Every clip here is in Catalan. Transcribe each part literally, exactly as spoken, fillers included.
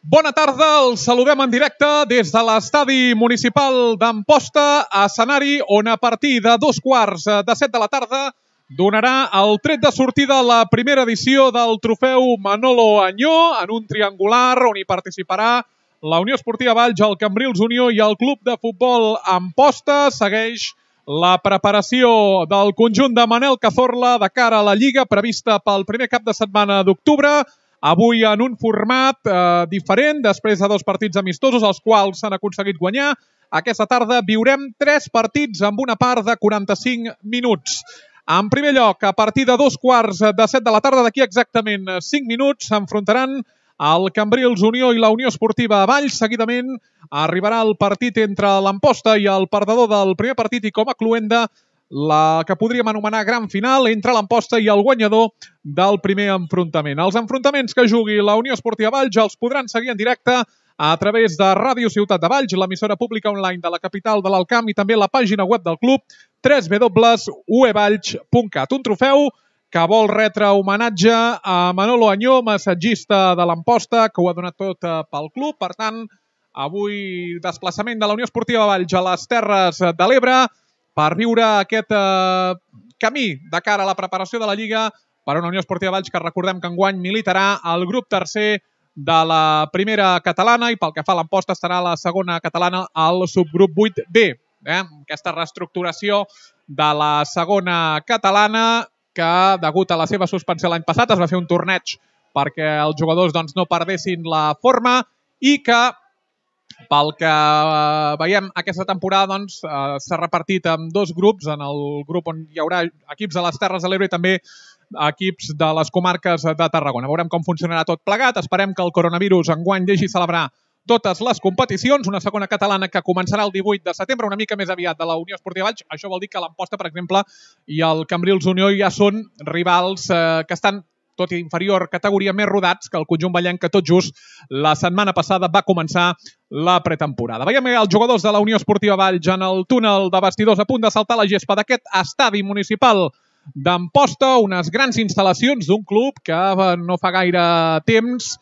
Bona tarda, els saludem en directe des de l'estadi municipal d'Amposta, escenari on a partir de dos quarts de set de la tarda donarà el tret de sortida a la primera edició del trofeu Manolo Añó, en un triangular on hi participarà la Unió Esportiva Valls, el Cambrils Unió i el Club de Futbol Amposta. Segueix la preparació del conjunt de Manel Cazorla de cara a la Lliga prevista pel primer cap de setmana d'octubre. Avui en un format eh, diferent, després de dos partits amistosos, els quals s'han aconseguit guanyar. Aquesta tarda viurem tres partits amb una part de quaranta-cinc minuts. En primer lloc, a partir de dos quarts de set de la tarda, d'aquí exactament cinc minuts, s'enfrontaran el Cambrils Unió i la Unió Esportiva Valls. Seguidament arribarà el partit entre l'Amposta i el perdedor del primer partit i com a cloenda la que podríem anomenar gran final entre l'Amposta i el guanyador del primer enfrontament. Els enfrontaments que jugui la Unió Esportiva Valls els podran seguir en directe a través de Ràdio Ciutat de Valls, l'emissora pública online de la capital de l'Alt Camp, i també la pàgina web del club, w w w punt u e valls punt cat. Un trofeu que vol retre homenatge a Manolo Añó, massatgista de l'Amposta, que ho ha donat tot pel club. Per tant, avui desplaçament de la Unió Esportiva Valls a les Terres de l'Ebre per viure aquest eh, camí de cara a la preparació de la Lliga per una Unió Esportiva Valls que recordem que enguany militarà al grup tercer de la primera catalana i pel que fa a l'Amposta estarà a la segona catalana al subgrup vuit B. Eh? Aquesta reestructuració de la segona catalana que, degut a la seva suspensió l'any passat, es va fer un torneig perquè els jugadors doncs, no perdessin la forma i que pel que eh, veiem aquesta temporada doncs, eh, s'ha repartit en dos grups, en el grup on hi haurà equips de les Terres de l'Ebre i també equips de les comarques de Tarragona. Veurem com funcionarà tot plegat. Esperem que el coronavirus enguany deixi celebrar totes les competicions. Una segona catalana que començarà el divuit de setembre, una mica més aviat de la Unió Esportiva Valls. Això vol dir que l'Amposta, per exemple, i el Cambrils Unió ja són rivals eh, que estan tot i inferior categoria, més rodats que el conjunt vallenc, que tot just la setmana passada va començar la pretemporada. Veiem els jugadors de la Unió Esportiva Valls en el túnel de vestidors a punt de saltar la gespa d'aquest estadi municipal d'Amposta, unes grans instal·lacions d'un club que no fa gaire temps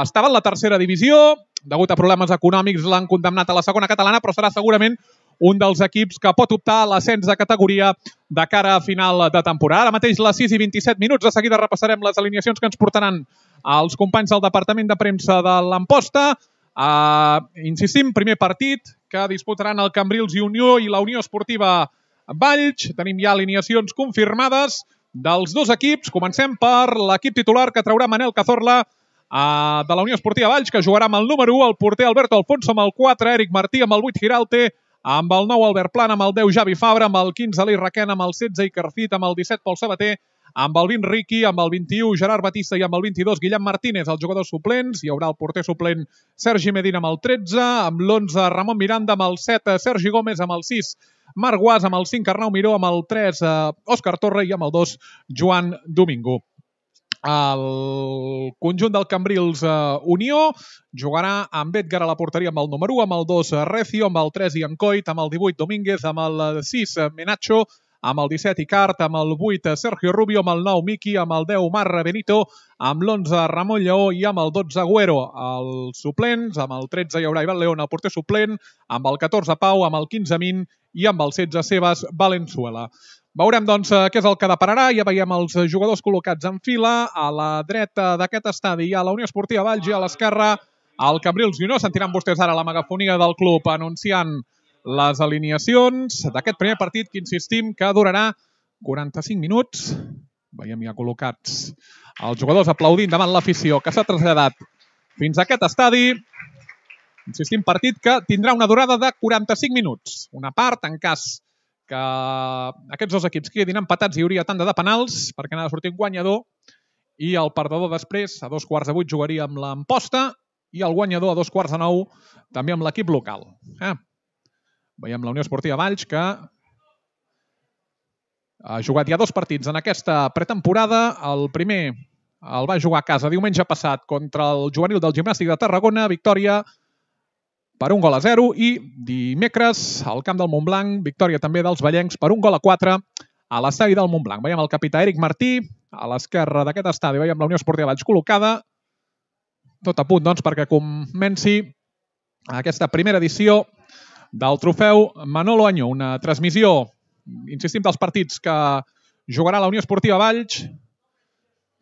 estava en la tercera divisió, degut a problemes econòmics l'han condemnat a la segona catalana, però serà segurament un dels equips que pot optar a l'ascens de categoria de cara a final de temporada. Ara mateix les sis i vint-i-set minuts, de seguida repassarem les alineacions que ens portaran els companys del Departament de Premsa de l'Amposta. Uh, insistim, primer partit que disputaran el Cambrils i Unió i la Unió Esportiva Valls. Tenim ja alineacions confirmades dels dos equips. Comencem per l'equip titular que traurà Manel Cazorla uh, de la Unió Esportiva Valls, que jugarà amb el número u, el porter Alberto Alfonso, amb el quatre, Eric Martí, amb el vuit, Giralte, amb el nou Albert Plana, amb el deu Javi Fabra, amb el quinze Eli Requena, amb el setze Iker Fit, amb el disset Pol Sabater, amb el vint Riqui, amb el vint-i-u Gerard Batista i amb el vint-i-dos Guillem Martínez, els jugadors suplents. Hi haurà el porter suplent Sergi Medina amb el tretze, amb l'onze Ramon Miranda, amb el set Sergi Gómez, amb el sis Marc Guas, amb el cinc Arnau Miró, amb el tres Òscar Torre i amb el dos Joan Domingo. El conjunt del Cambrils uh, Unió jugarà amb Edgar a la porteria amb el número u, amb el dos Recio, amb el tres Ian Coit, amb el divuit Domínguez, amb el sis Menacho, amb el disset Icart, amb el vuit Sergio Rubio, amb el nou Miki, amb el deu Mar Benito, amb l'onze Ramon Lleó i amb el dotze Agüero. Els suplents, amb el tretze hi haurà Ivan León, el porter suplent, amb el catorze Pau, amb el quinze Min i amb el setze Sebas Valenzuela. Veurem, doncs, què és el que depararà. Ja veiem els jugadors col·locats en fila. A la dreta d'aquest estadi hi ha la Unió Esportiva Valls i a l'esquerra el Cambrils Unió. Sentiran vostès ara la megafonia del club anunciant les alineacions d'aquest primer partit que insistim que durarà quaranta-cinc minuts. Veiem ja col·locats els jugadors aplaudint davant l'afició que s'ha traslladat fins a aquest estadi. Insistim, partit que tindrà una durada de quaranta-cinc minuts. Una part, en cas que aquests dos equips quedin empatats, hi hauria tanda de penals perquè n'ha de sortir un guanyador i el perdedor després, a dos quarts de vuit, jugaria amb l'Amposta i el guanyador a dos quarts de nou també amb l'equip local. Eh? Veiem la Unió Esportiva Valls que ha jugat ja dos partits en aquesta pretemporada. El primer el va jugar a casa diumenge passat contra el juvenil del Gimnàstic de Tarragona, victòria per un gol a zero, i dimecres al camp del Montblanc, victòria també dels vallencs per un gol a quatre a l'estadi del Montblanc. Veiem el capità Eric Martí, a l'esquerra d'aquest estadi veiem la Unió Esportiva Valls col·locada, tot a punt, doncs, perquè comenci aquesta primera edició del trofeu Manolo Añó, una transmissió, insistim, dels partits que jugarà la Unió Esportiva Valls,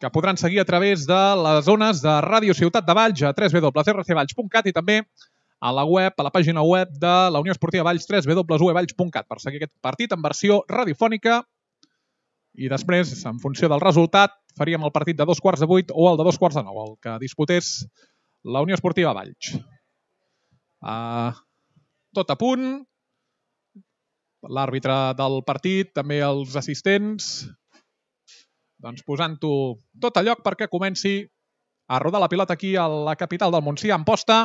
que podran seguir a través de les zones de Ràdio Ciutat de Valls a w w w punt r c valls punt cat i també a la web, a la pàgina web de la Unió Esportiva Valls, w w w punt u e valls punt cat, per seguir aquest partit en versió radiofònica. I després, en funció del resultat, faríem el partit de dos quarts de vuit o el de dos quarts de nou, el que disputés la Unió Esportiva Valls. Uh, tot a punt. L'àrbitre del partit, també els assistents, doncs posant-ho tot a lloc perquè comenci a rodar la pilota aquí a la capital del Montsià, Amposta,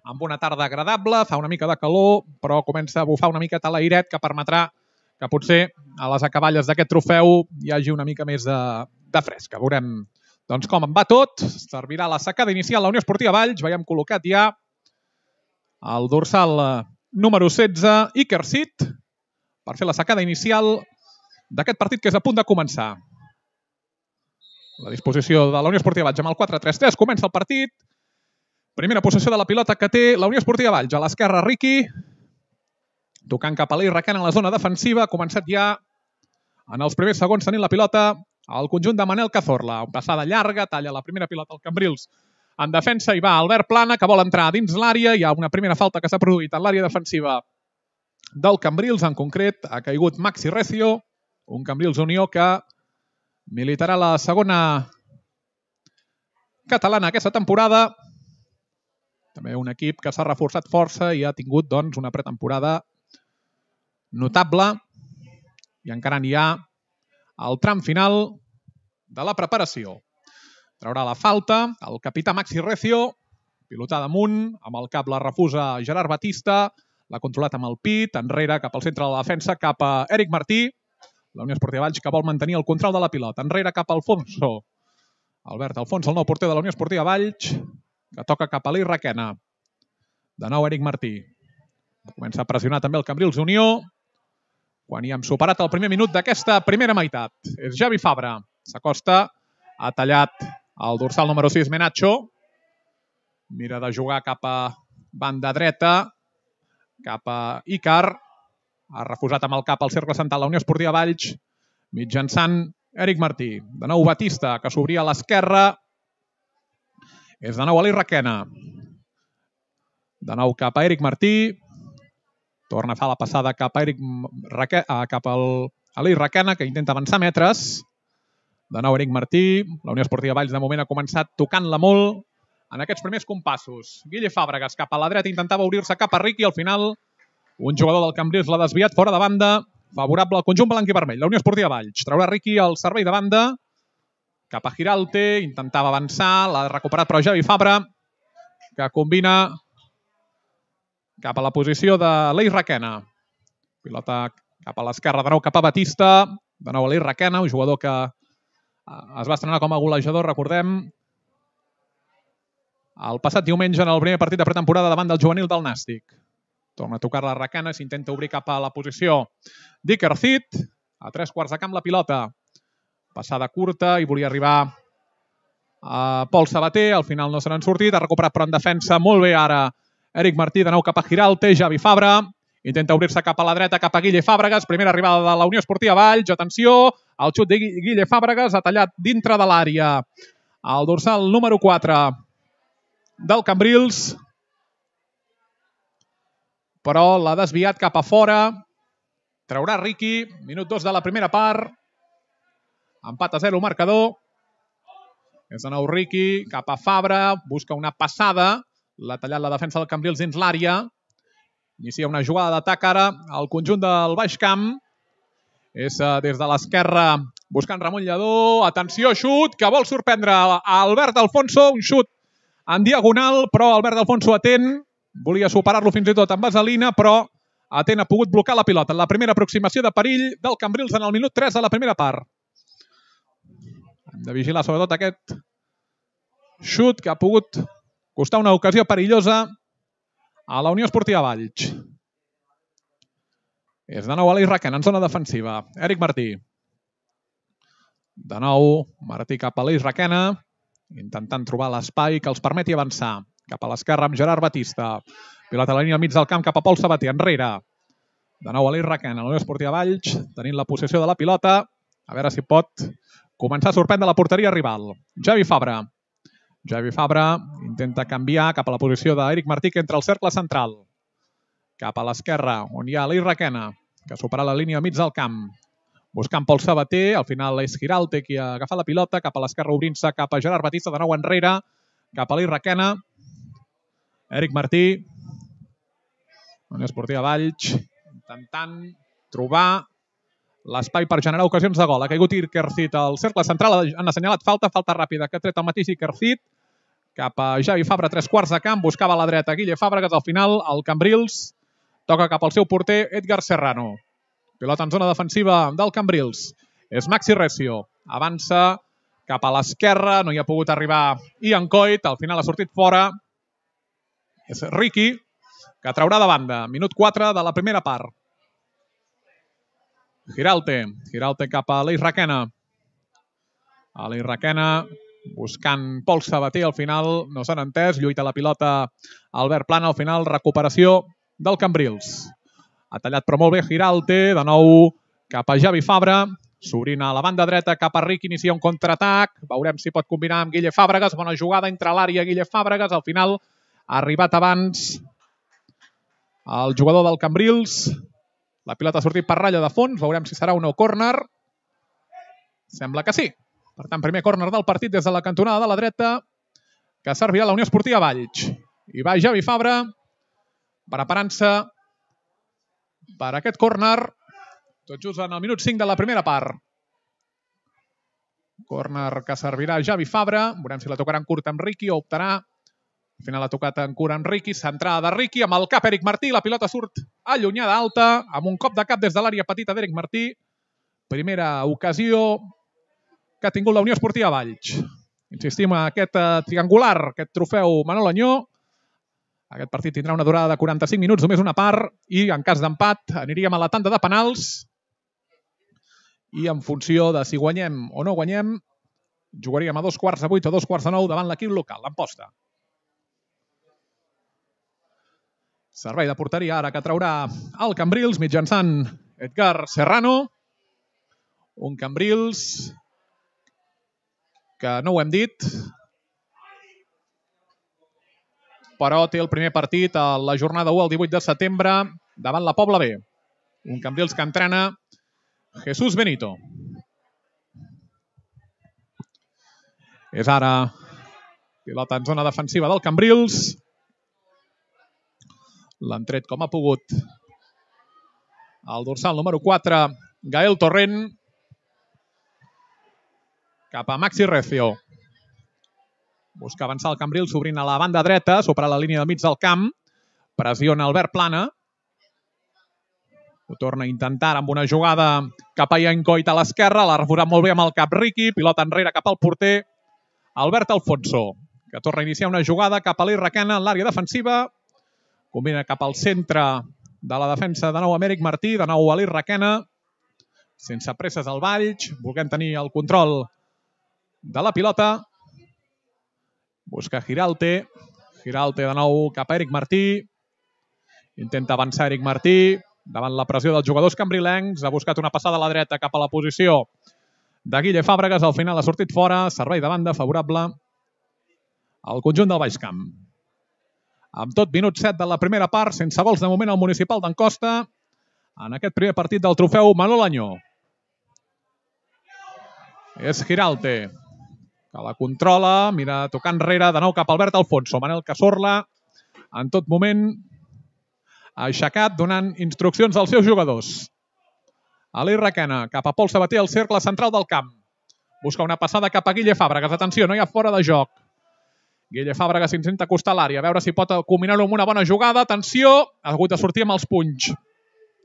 amb una tarda agradable, fa una mica de calor, però comença a bufar una miqueta l'airet que permetrà que potser a les acaballes d'aquest trofeu hi hagi una mica més de, de fresca. Veurem doncs, com en va tot. Servirà la secada inicial la Unió Esportiva Valls. Veiem col·locat ja el dorsal número setze, Iker Sid, per fer la secada inicial d'aquest partit que és a punt de començar. La disposició de la Unió Esportiva Valls amb el quatre tres tres. Comença el partit. Primera possessió de la pilota que té la Unió Esportiva Valls. A l'esquerra, Riqui, tocant cap a l'I Raquena en la zona defensiva. Ha començat ja en els primers segons tenint la pilota al conjunt de Manel Cazorla. Una passada llarga, talla la primera pilota al Cambrils en defensa i va Albert Plana, que vol entrar dins l'àrea. Hi ha una primera falta que s'ha produït en l'àrea defensiva del Cambrils. En concret, ha caigut Maxi Recio, un Cambrils Unió que militarà la segona catalana aquesta temporada. També un equip que s'ha reforçat força i ha tingut doncs, una pretemporada notable i encara n'hi ha el tram final de la preparació. Traurà la falta el capità Maxi Recio, pilotada amunt, amb el cap la refusa Gerard Batista, l'ha controlat amb el pit, enrere cap al centre de la defensa, cap a Eric Martí, la Unió Esportiva Valls que vol mantenir el control de la pilota, enrere cap a Alfonso, Albert Alfonso, el nou porter de la Unió Esportiva Valls, que toca cap a l'I Raquena. De nou Eric Martí. Comença a pressionar també el Cambrils Unió, quan hi hem superat el primer minut d'aquesta primera meitat. És Javi Fabra. S'acosta, ha tallat el dorsal número sis, Menacho. Mira de jugar cap a banda dreta, cap a Icar. Ha refusat amb el cap al cercle central la Unió Esportiva Valls, mitjançant Eric Martí. De nou Batista, que s'obria a l'esquerra. És de nou a l'I Raquena. De nou cap a Eric Martí. Torna a fer la passada cap a Eric Raque... cap al... a l'I Raquena, que intenta avançar metres. De nou Eric Martí. La Unió Esportiva Valls de moment ha començat tocant-la molt en aquests primers compassos. Guille Fàbregas cap a la dreta intentava obrir-se cap a Riqui. Al final un jugador del Cambrils l'ha desviat fora de banda. Favorable al conjunt blanc i vermell. La Unió Esportiva Valls traurà Riqui al servei de banda. Cap a Giralte, intentava avançar, l'ha recuperat però Javi Fabra, que combina cap a la posició de l'I Raquena. Pilota cap a l'esquerra, de nou cap a Batista, de nou a l'I Raquena, un jugador que es va estrenar com a golejador, recordem, el passat diumenge en el primer partit de pretemporada davant del juvenil del Nàstic. Torna a tocar la Raquena, s'intenta obrir cap a la posició d'Iker Sid, a tres quarts de camp la pilota. Passada curta i volia arribar a Pol Sabater, al final no se n'han sortit, ha recuperat però en defensa molt bé ara Eric Martí, de nou cap a Giralte, Javi Fabra, intenta obrir-se cap a la dreta, cap a Guille Fàbregas, primera arribada de la Unió Esportiva Valls, atenció, el xut de Guille Fàbregas ha tallat dintre de l'àrea el dorsal número quatre del Cambrils, però l'ha desviat cap a fora, traurà Riqui, minut dos de la primera part, empat a zero marcador. És de nou Riqui, cap a Fabra, busca una passada, l'ha tallat la defensa del Cambrils dins l'àrea. Inicia una jugada d'atac ara al conjunt del Baix Camp. És des de l'esquerra buscant Ramon Lledó. Atenció, xut, que vol sorprendre a Albert Alfonso. Un xut en diagonal, però Albert Alfonso atent. Volia superar-lo fins i tot amb vaselina, però atent ha pogut blocar la pilota. La primera aproximació de perill del Cambrils en el minut tres de la primera part. Hem de vigilar sobretot aquest xut que ha pogut costar una ocasió perillosa a la Unió Esportiva Valls. És de nou a l'I Raquena en zona defensiva. Eric Martí. De nou, Martí cap a l'I Raquena. intentant trobar l'espai que els permeti avançar. Cap a l'esquerra amb Gerard Batista. Pilota a la línia al mig del camp cap a Pol Sabater, enrere. De nou Aleix Requena, la Unió Esportiva Valls, tenint la possessió de la pilota. A veure si pot començar a sorprendre la porteria rival. Javi Fabra. Javi Fabra intenta canviar cap a la posició d'Eric Martí, que entra al cercle central. Cap a l'esquerra, on hi ha Aleix Requena, que supera la línia al mig del camp. Buscant Pol Sabater, al final és Giralta qui ha agafat la pilota, cap a l'esquerra obrint-se cap a Gerard Batista, de nou enrere, cap a Aleix Requena. Eric Martí, Unió Esportiva Valls, intentant trobar l'espai per generar ocasions de gol. Ha caigut Ikercit al cercle central, han assenyalat falta, falta ràpida, que ha tret el mateix Ikercit, cap a Javi Fabra, tres quarts de camp, buscava a la dreta Guille Fàbregas, al final el Cambrils toca cap al seu porter Edgar Serrano. Pilota en zona defensiva del Cambrils. És Maxi Recio. Avança cap a l'esquerra. No hi ha pogut arribar Ian Coit. Al final ha sortit fora. És Ricky, que traurà de banda. Minut quatre de la primera part. Giralte. Giralte cap a Aleix Requena. Aleix Requena buscant Pol Sabater. Al final no s'han entès. Lluita la pilota Albert Plana. Al final recuperació del Cambrils. Ha tallat però molt bé Giralte, de nou cap a Javi Fabra, s'obrint a la banda dreta cap a Ric, inicia un contraatac, veurem si pot combinar amb Guille Fàbregas, bona jugada entre l'àrea Guille Fàbregas, al final ha arribat abans el jugador del Cambrils, la pilota ha sortit per ratlla de fons, veurem si serà un no córner, sembla que sí. Per tant, primer córner del partit des de la cantonada de la dreta, que servirà la Unió Esportiva Valls. I va Javi Fabra, preparant-se per aquest córner, tot just en el minut cinc de la primera part. Córner que servirà Javi Fabra. Veurem si la tocarà en curt amb Ricky o optarà. Al final ha tocat en curt amb Ricky. Centrada de Ricky amb el cap Eric Martí. La pilota surt allunyada alta amb un cop de cap des de l'àrea petita d'Eric Martí. Primera ocasió que ha tingut la Unió Esportiva Valls. Insistim en aquest triangular, aquest trofeu Manol Añó. Aquest partit tindrà una durada de quaranta-cinc minuts, només una part, i en cas d'empat aniríem a la tanda de penals i en funció de si guanyem o no guanyem, jugaríem a dos quarts de vuit o dos quarts de nou davant l'equip local, l'Amposta. Servei de porteria ara que traurà el Cambrils mitjançant Edgar Serrano. Un Cambrils que no ho hem dit, però té el primer partit a la jornada u el divuit de setembre davant la Pobla B. Un Cambrils que entrena Jesús Benito. És ara pilota en zona defensiva del Cambrils. L'han tret com ha pogut el dorsal número quatre, Gael Torrent, cap a Maxi Recio. Busca avançar el Cambrils, s'obrint a la banda dreta, supera la línia del mig del camp. Pressiona Albert Plana. Ho torna a intentar amb una jugada cap a Ian Coit a l'esquerra. L'ha refutat molt bé amb el cap Ricky. Pilota enrere cap al porter Albert Alfonso, que torna a iniciar una jugada cap a Aleix Requena en l'àrea defensiva. Combina cap al centre de la defensa de nou amb Eric Martí. De nou Aleix Requena. Sense presses al Valls. Volent tenir el control de la pilota. Busca Giralte. Giralte de nou cap a Eric Martí. Intenta avançar Eric Martí davant la pressió dels jugadors cambrilencs. Ha buscat una passada a la dreta cap a la posició de Guille Fàbregas. Al final ha sortit fora. Servei de banda favorable al conjunt del Baix Camp. Amb tot, minut set de la primera part, sense gols de moment al municipal d'Amposta en aquest primer partit del trofeu Manol Añó. És Giralte, que la controla, mira, tocar enrere, de nou cap a Albert Alfonso. Manel Cazorla, en tot moment, ha aixecat, donant instruccions als seus jugadors. Aleix Requena, cap a Pol Sabater, al cercle central del camp. Busca una passada cap a Guille Fàbregas. Atenció, no hi ha fora de joc. Guille Fàbregas intenta acostar l'àrea, a veure si pot combinar-ho amb una bona jugada. Atenció, ha hagut de sortir amb els punys.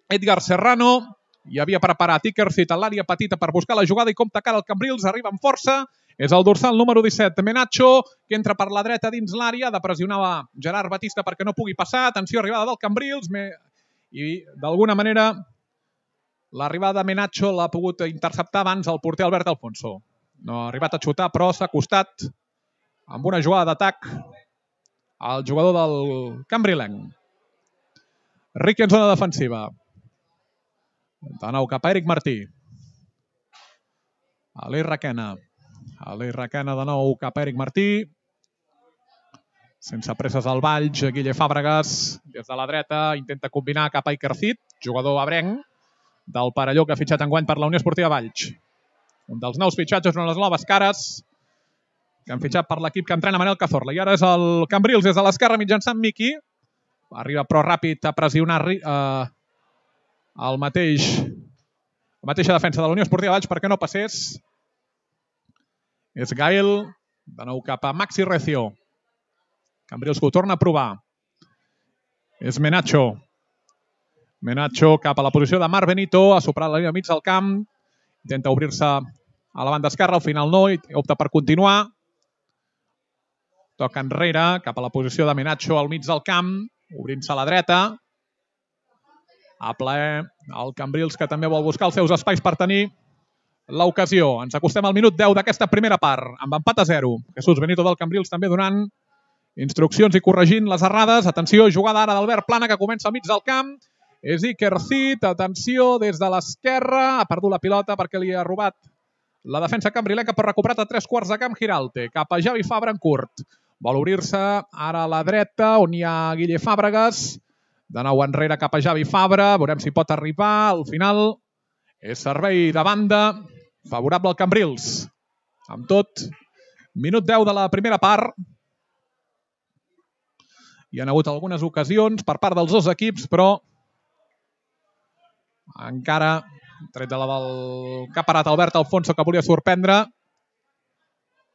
Edgar Serrano, hi havia preparat Ikercit a l'àrea petita per buscar la jugada i compta cara al Cambrils, arriba amb força. És el dorsal número disset, Menacho, que entra per la dreta dins l'àrea, de pressionar Gerard Batista perquè no pugui passar. Atenció, arribada del Cambrils. I d'alguna manera l'arribada de Menacho l'ha pogut interceptar abans el porter Albert Alfonso. No ha arribat a xutar, però s'ha acostat amb una jugada d'atac al jugador del cambrilenc. Riqui en zona defensiva. De nou cap a Eric Martí. Aleix Requena. Aleix Requena de nou cap a Eric Martí. Sense presses al Valls, Guille Fàbregas des de la dreta, intenta combinar cap a Iker Cid, jugador abrenc del Parelló que ha fitxat enguany per la Unió Esportiva Valls. Un dels nous fitxatges, una de les noves cares que han fitxat per l'equip que entrena Manel Cazorla. I ara és el Cambrils des de l'esquerra mitjançant Miqui. Arriba però ràpid a pressionar eh, el mateix, la mateixa defensa de la Unió Esportiva Valls perquè no passés. És Gael, de nou cap a Maxi Recio. Cambrils que ho torna a provar. És Menacho. Menacho cap a la posició de Marc Benito, ha superat la línia mig del camp, intenta obrir-se a la banda esquerra, al final no, i opta per continuar. Toca enrere, cap a la posició de Menacho al mig del camp, obrint-se a la dreta. A plaer el Cambrils, que també vol buscar els seus espais per tenir l'ocasió. Ens acostem al minut deu d'aquesta primera part, amb empat a zero. Jesús Benito del Cambrils també donant instruccions i corregint les errades. Atenció, jugada ara d'Albert Plana, que comença al mig del camp. És Iker Cid, atenció, des de l'esquerra. Ha perdut la pilota perquè li ha robat la defensa cambrilenca, però recuperat a tres quarts de camp Giralte. Cap a Javi Fabra en curt. Vol obrir-se ara a la dreta, on hi ha Guille Fàbregas. De nou enrere cap a Javi Fabra. Veurem si pot arribar. Al final és servei de banda favorable al Cambrils. Amb tot, minut deu de la primera part. Hi ha hagut algunes ocasions per part dels dos equips, però encara, tret de la del que ha parat Albert Alfonso, que volia sorprendre,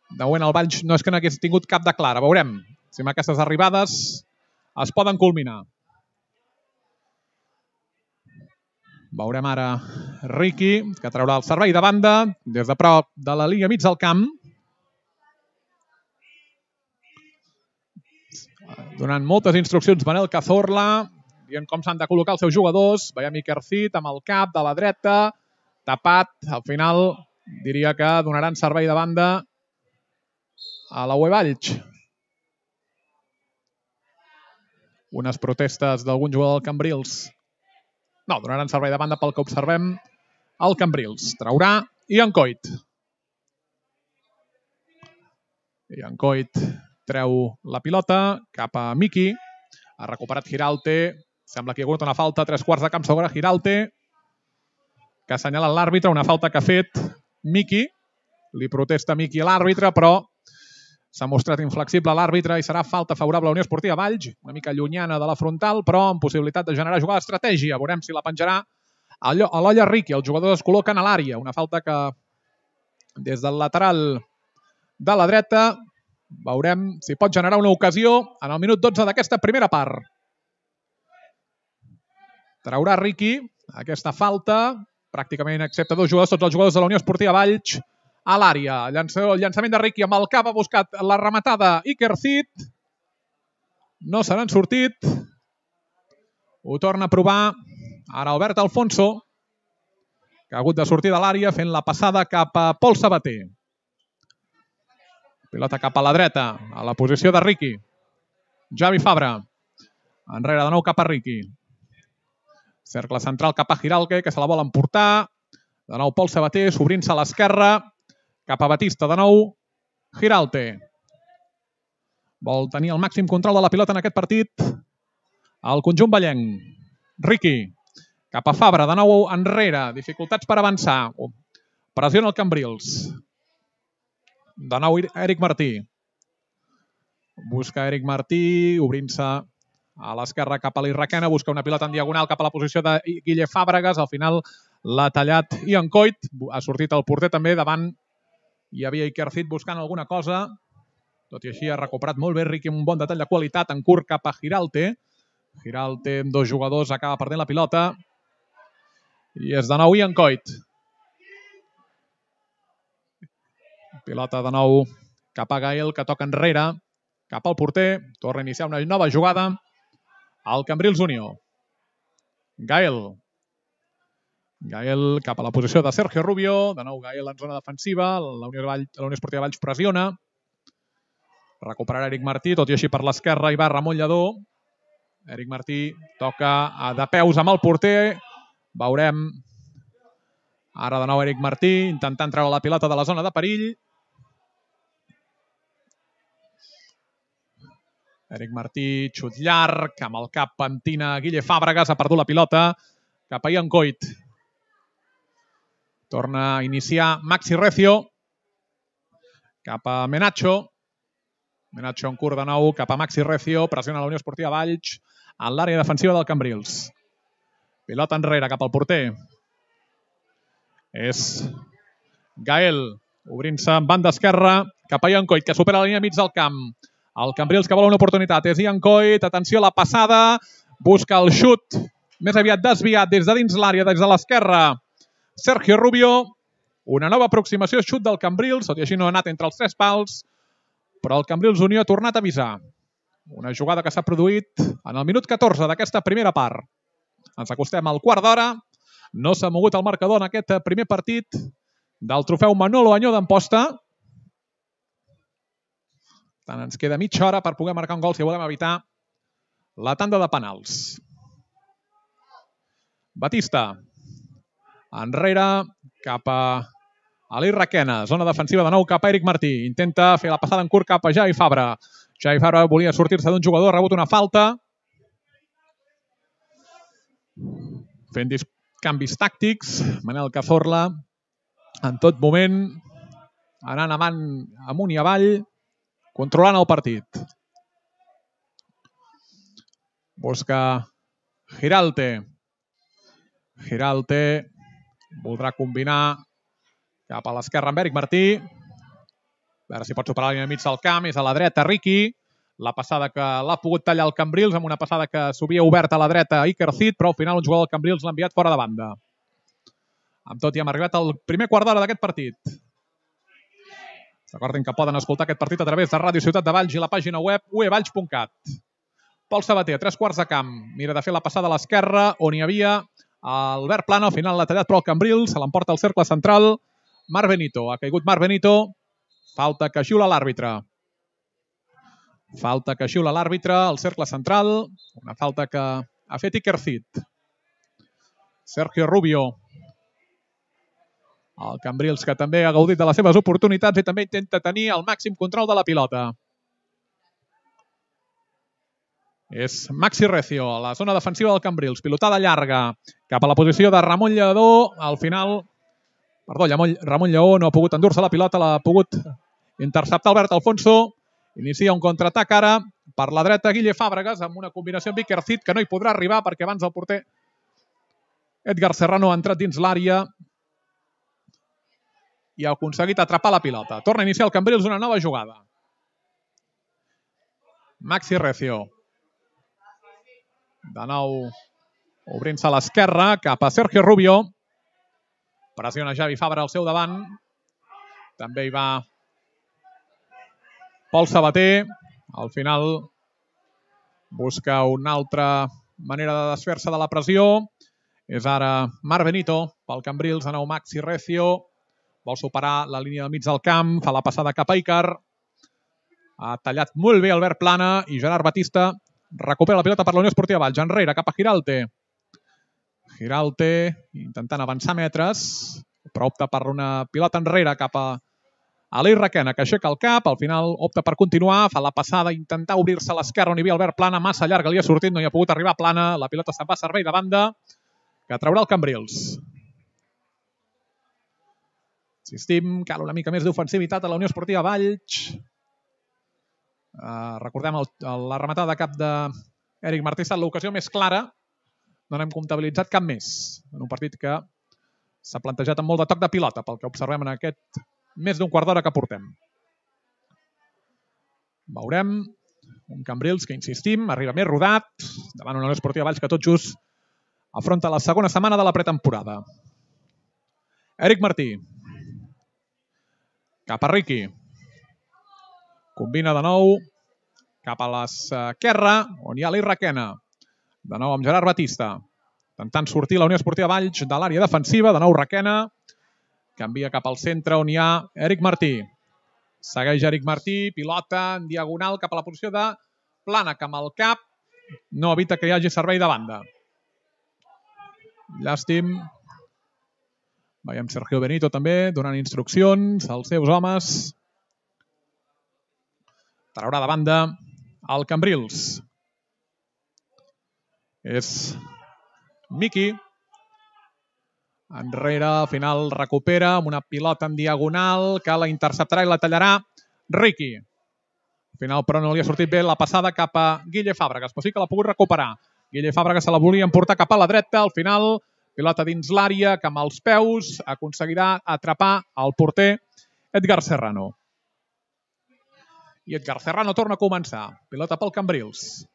de moment el Valls no és que n'hagués tingut cap de clara. Veurem si amb aquestes arribades es poden culminar. Veurem ara Riqui, que traurà el servei de banda des de prop de la línia mig del camp. Donant moltes instruccions Manel Cazorla, dient com s'han de col·locar els seus jugadors. Veiem Iker Cid amb el cap de la dreta, tapat. Al final diria que donaran servei de banda a la U E Valls. Unes protestes d'algun jugador del Cambrils. No, donaran servei de banda pel que observem al Cambrils. Traurà Ian Coit. Ian Coit treu la pilota cap a Miqui. Ha recuperat Giralte. Sembla que hi ha hagut una falta. Tres quarts de camp sobre Giralte, que assenyala l'àrbitre. Una falta que ha fet Miqui. Li protesta Miqui a l'àrbitre, però s'ha mostrat inflexible l'àrbitre i serà falta favorable a la Unió Esportiva Valls. Una mica llunyana de la frontal, però amb possibilitat de generar jugada d'estratègia. Veurem si la penjarà a l'Olla Riqui. Els jugadors es col·loquen a l'àrea. Una falta que des del lateral de la dreta veurem si pot generar una ocasió en el minut dotze d'aquesta primera part. Traurà Riqui aquesta falta, pràcticament excepte dos jugadors, tots els jugadors de la Unió Esportiva Valls a l'àrea. El llançament de Riqui amb el cap ha buscat la rematada Iker Cid. No se n'han sortit. Ho torna a provar ara Albert Alfonso, que ha hagut de sortir de l'àrea fent la passada cap a Pol Sabater. Pilota cap a la dreta, a la posició de Riqui. Javi Fabra. Enrere de nou cap a Riqui. Cercle central cap a Giralte, que se la vol emportar. De nou Pol Sabater, s'obrint-se a l'esquerra. Cap a Batista, de nou Giralte. Vol tenir el màxim control de la pilota en aquest partit el conjunt vallenc. Riqui. Cap a Fabra, de nou enrere. Dificultats per avançar. Pressiona el Cambrils. De nou Eric Martí. Busca Eric Martí, obrint-se a l'esquerra cap a l'Irraquena. Busca una pilota en diagonal cap a la posició de Guille Fàbregas. Al final l'ha tallat Ian Coit. Ha sortit el porter també davant. Hi havia Iker Cid buscant alguna cosa. Tot i així ha recuperat molt bé Riqui, un bon detall de qualitat en curt cap a Giralte. Giralte amb dos jugadors acaba perdent la pilota. I és de nou Ian Coit. Pilota de nou cap a Gael, que toca enrere, cap al porter. Torna a iniciar una nova jugada al Cambrils Unió. Gael. Gael cap a la posició de Sergio Rubio. De nou Gael en zona defensiva. La Unió, Vall, la Unió Esportiva Valls pressiona. Recuperarà Eric Martí, tot i així per l'esquerra hi va Ramon Lledó. Eric Martí toca de peus amb el porter. Veurem ara de nou Eric Martí intentant treure la pilota de la zona de perill. Eric Martí, xut llarg, amb el cap pentina Guille Fàbregas, ha perdut la pilota cap a Ian Coit. Torna a iniciar Maxi Recio, cap a Menacho. Menacho en curt de nou, cap a Maxi Recio, pressiona la Unió Esportiva Valls en l'àrea defensiva del Cambrils. Pilota enrere cap al porter. És Gael, obrint-se en banda esquerra, cap a Ian Coit, que supera la línia mig del camp. El Cambrils que vol una oportunitat és Ian Coit, atenció a la passada, busca el xut, més aviat desviat des de dins l'àrea, des de l'esquerra. Sergio Rubio, una nova aproximació, xut del Cambrils, tot i així no ha anat entre els tres pals, però el Cambrils Unió ha tornat a avisar. Una jugada que s'ha produït en el minut catorze d'aquesta primera part. Ens acostem al quart d'hora, no s'ha mogut el marcador en aquest primer partit del trofeu Manolo Añó d'Amposta. Tant ens queda mitja hora per poder marcar un gol si volem evitar la tanda de penals. Batista. Enrere, cap a Ali Requena. Zona defensiva de nou cap a Eric Martí. Intenta fer la passada en curt cap a Javi Fabra. Javi Fabra volia sortir-se d'un jugador, ha rebut una falta. Fent canvis tàctics. Manel Cazorla, en tot moment, anant avant, amunt i avall, controlant el partit. Busca Giralte. Giralte voldrà combinar cap a l'esquerra amb Eric Martí. A veure si pot superar la línia mig del camp. És a la dreta Riqui. La passada que l'ha pogut tallar el Cambrils amb una passada que s'havia obert a la dreta a Iker Cid, però al final un jugador del Cambrils l'ha enviat fora de banda. Amb tot, ja hem arribat al primer quart d'hora d'aquest partit. Recordin que poden escoltar aquest partit a través de Ràdio Ciutat de Valls i la pàgina web u e valls punt cat. Pol Sabater, a tres quarts de camp. Mira de fer la passada a l'esquerra, on hi havia Albert Plana. Al final l'ha tallat però el Cambrils, se l'emporta al cercle central. Marc Benito. Ha caigut Marc Benito. Falta que xiula l'àrbitre. Falta que xiula l'àrbitre al cercle central. Una falta que ha fet Iker Cid. Sergio Rubio. El Cambrils que també ha gaudit de les seves oportunitats i també intenta tenir el màxim control de la pilota. És Maxi Recio, a la zona defensiva del Cambrils. Pilotada llarga cap a la posició de Ramon Lledó. Al final, perdó, Ramon Lleó no ha pogut endur-se la pilota, l'ha pogut interceptar Albert Alfonso. Inicia un contraatac ara per la dreta Guille Fàbregas amb una combinació amb Iker Cid que no hi podrà arribar perquè abans el porter Edgar Serrano ha entrat dins l'àrea i ha aconseguit atrapar la pilota. Torna a iniciar el Cambrils una nova jugada. Maxi Recio. De nou obrint-se a l'esquerra cap a Sergio Rubio. Pressiona Javi Fabra al seu davant. També hi va Pol Sabater. Al final busca una altra manera de desfer-se de la pressió. És ara Marc Benito pel Cambrils. De nou Maxi Recio. Vol superar la línia del mig del camp. Fa la passada cap a Iker. Ha tallat molt bé Albert Plana i Gerard Batista recupera la pilota per la Unió Esportiva Valls. Enrere, cap a Giralte. Giralte intentant avançar metres, però opta per una pilota enrere cap a Ali Requena, que aixeca el cap. Al final opta per continuar, fa la passada, intentar obrir-se a l'esquerra on hi havia Albert Plana, massa llarga, li ha sortit, no hi ha pogut arribar Plana. La pilota se'n va a servei de banda, que traurà el Cambrils. Insistim, cal una mica més d'ofensivitat a la Unió Esportiva Valls. Uh, recordem el, la rematada de cap d'Eric Martí ha estat l'ocasió més clara. No n'hem comptabilitzat cap més. En un partit que s'ha plantejat amb molt de toc de pilota, pel que observem en aquest més d'un quart d'hora que portem. Veurem un Cambrils que, insistim, arriba més rodat davant una Unió Esportiva Valls que tot just afronta la segona setmana de la pretemporada. Eric Martí. Cap a Riqui. Combina de nou cap a l'esquerra, on hi ha Ali Requena. De nou amb Gerard Batista. Intentant sortir la Unió Esportiva Valls de l'àrea defensiva. De nou Requena. Canvia cap al centre, on hi ha Eric Martí. Segueix Eric Martí, pilota en diagonal cap a la posició de Plànec amb el cap. No evita que hi hagi servei de banda. Llàstim. Veiem Sergio Benito també donant instruccions als seus homes. Traurà de banda el Cambrils. És Miki. Enrere, al final recupera amb una pilota en diagonal que la interceptarà i la tallarà Riqui. Al final, però, no li ha sortit bé la passada cap a Guille Fàbregas, però sí que l'ha pogut recuperar. Guille Fàbregas se la volia emportar cap a la dreta. Al final, pilota dins l'àrea que amb els peus aconseguirà atrapar el porter Edgar Serrano. I Edgar Serrano torna a començar. Pilota pel Cambrils.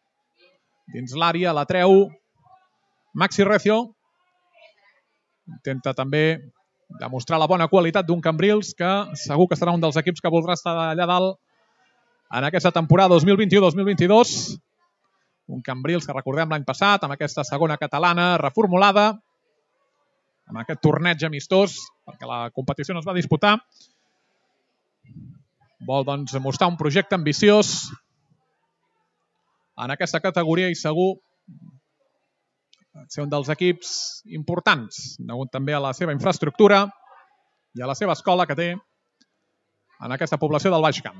Dins l'àrea la treu Maxi Recio. Intenta també demostrar la bona qualitat d'un Cambrils que segur que serà un dels equips que voldrà estar allà dalt en aquesta temporada dos mil vint-i-u dos mil vint-i-dos. Un Cambrils que recordem l'any passat amb aquesta segona catalana reformulada, amb aquest torneig amistós, perquè la competició no es va disputar. Vol doncs mostrar un projecte ambiciós en aquesta categoria i segur ser un dels equips importants, degut també a la seva infraestructura i a la seva escola que té en aquesta població del Baix Camp.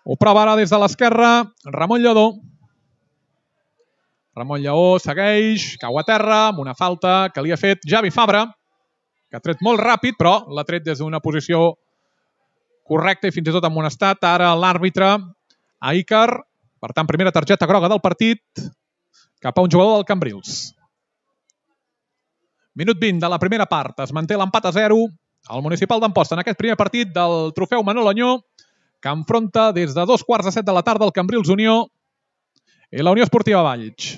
Ho prova ara des de l'esquerra Ramon Lledó. Ramon Lleó segueix, cau a terra amb una falta que li ha fet Javi Fabra, que ha tret molt ràpid, però l'ha tret des d'una posició correcta i fins i tot amonestat ara l'àrbitre a Iker. Per tant, primera targeta groga del partit cap a un jugador del Cambrils. Minut vint de la primera part. Es manté l'empat a zero al Municipal d'Amposta en aquest primer partit del trofeu Manol Añó, que enfronta des de dos quarts de set de la tarda el Cambrils Unió i la Unió Esportiva Valls.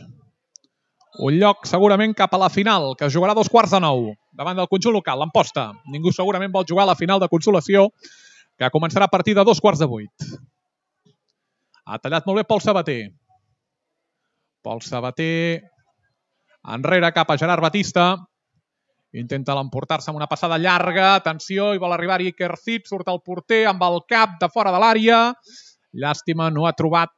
Un lloc segurament cap a la final, que es jugarà a dos quarts de nou davant del conjunt local, l'Amposta. Ningú segurament vol jugar a la final de consolació, que començarà a partir de dos quarts de vuit. Ha tallat molt bé Pol Sabater. Pol Sabater enrere cap a Gerard Batista. Intenta l'emportar-se amb una passada llarga. Atenció, i vol arribar-hi Iker Cid. Surt el porter amb el cap de fora de l'àrea. Llàstima, no ha trobat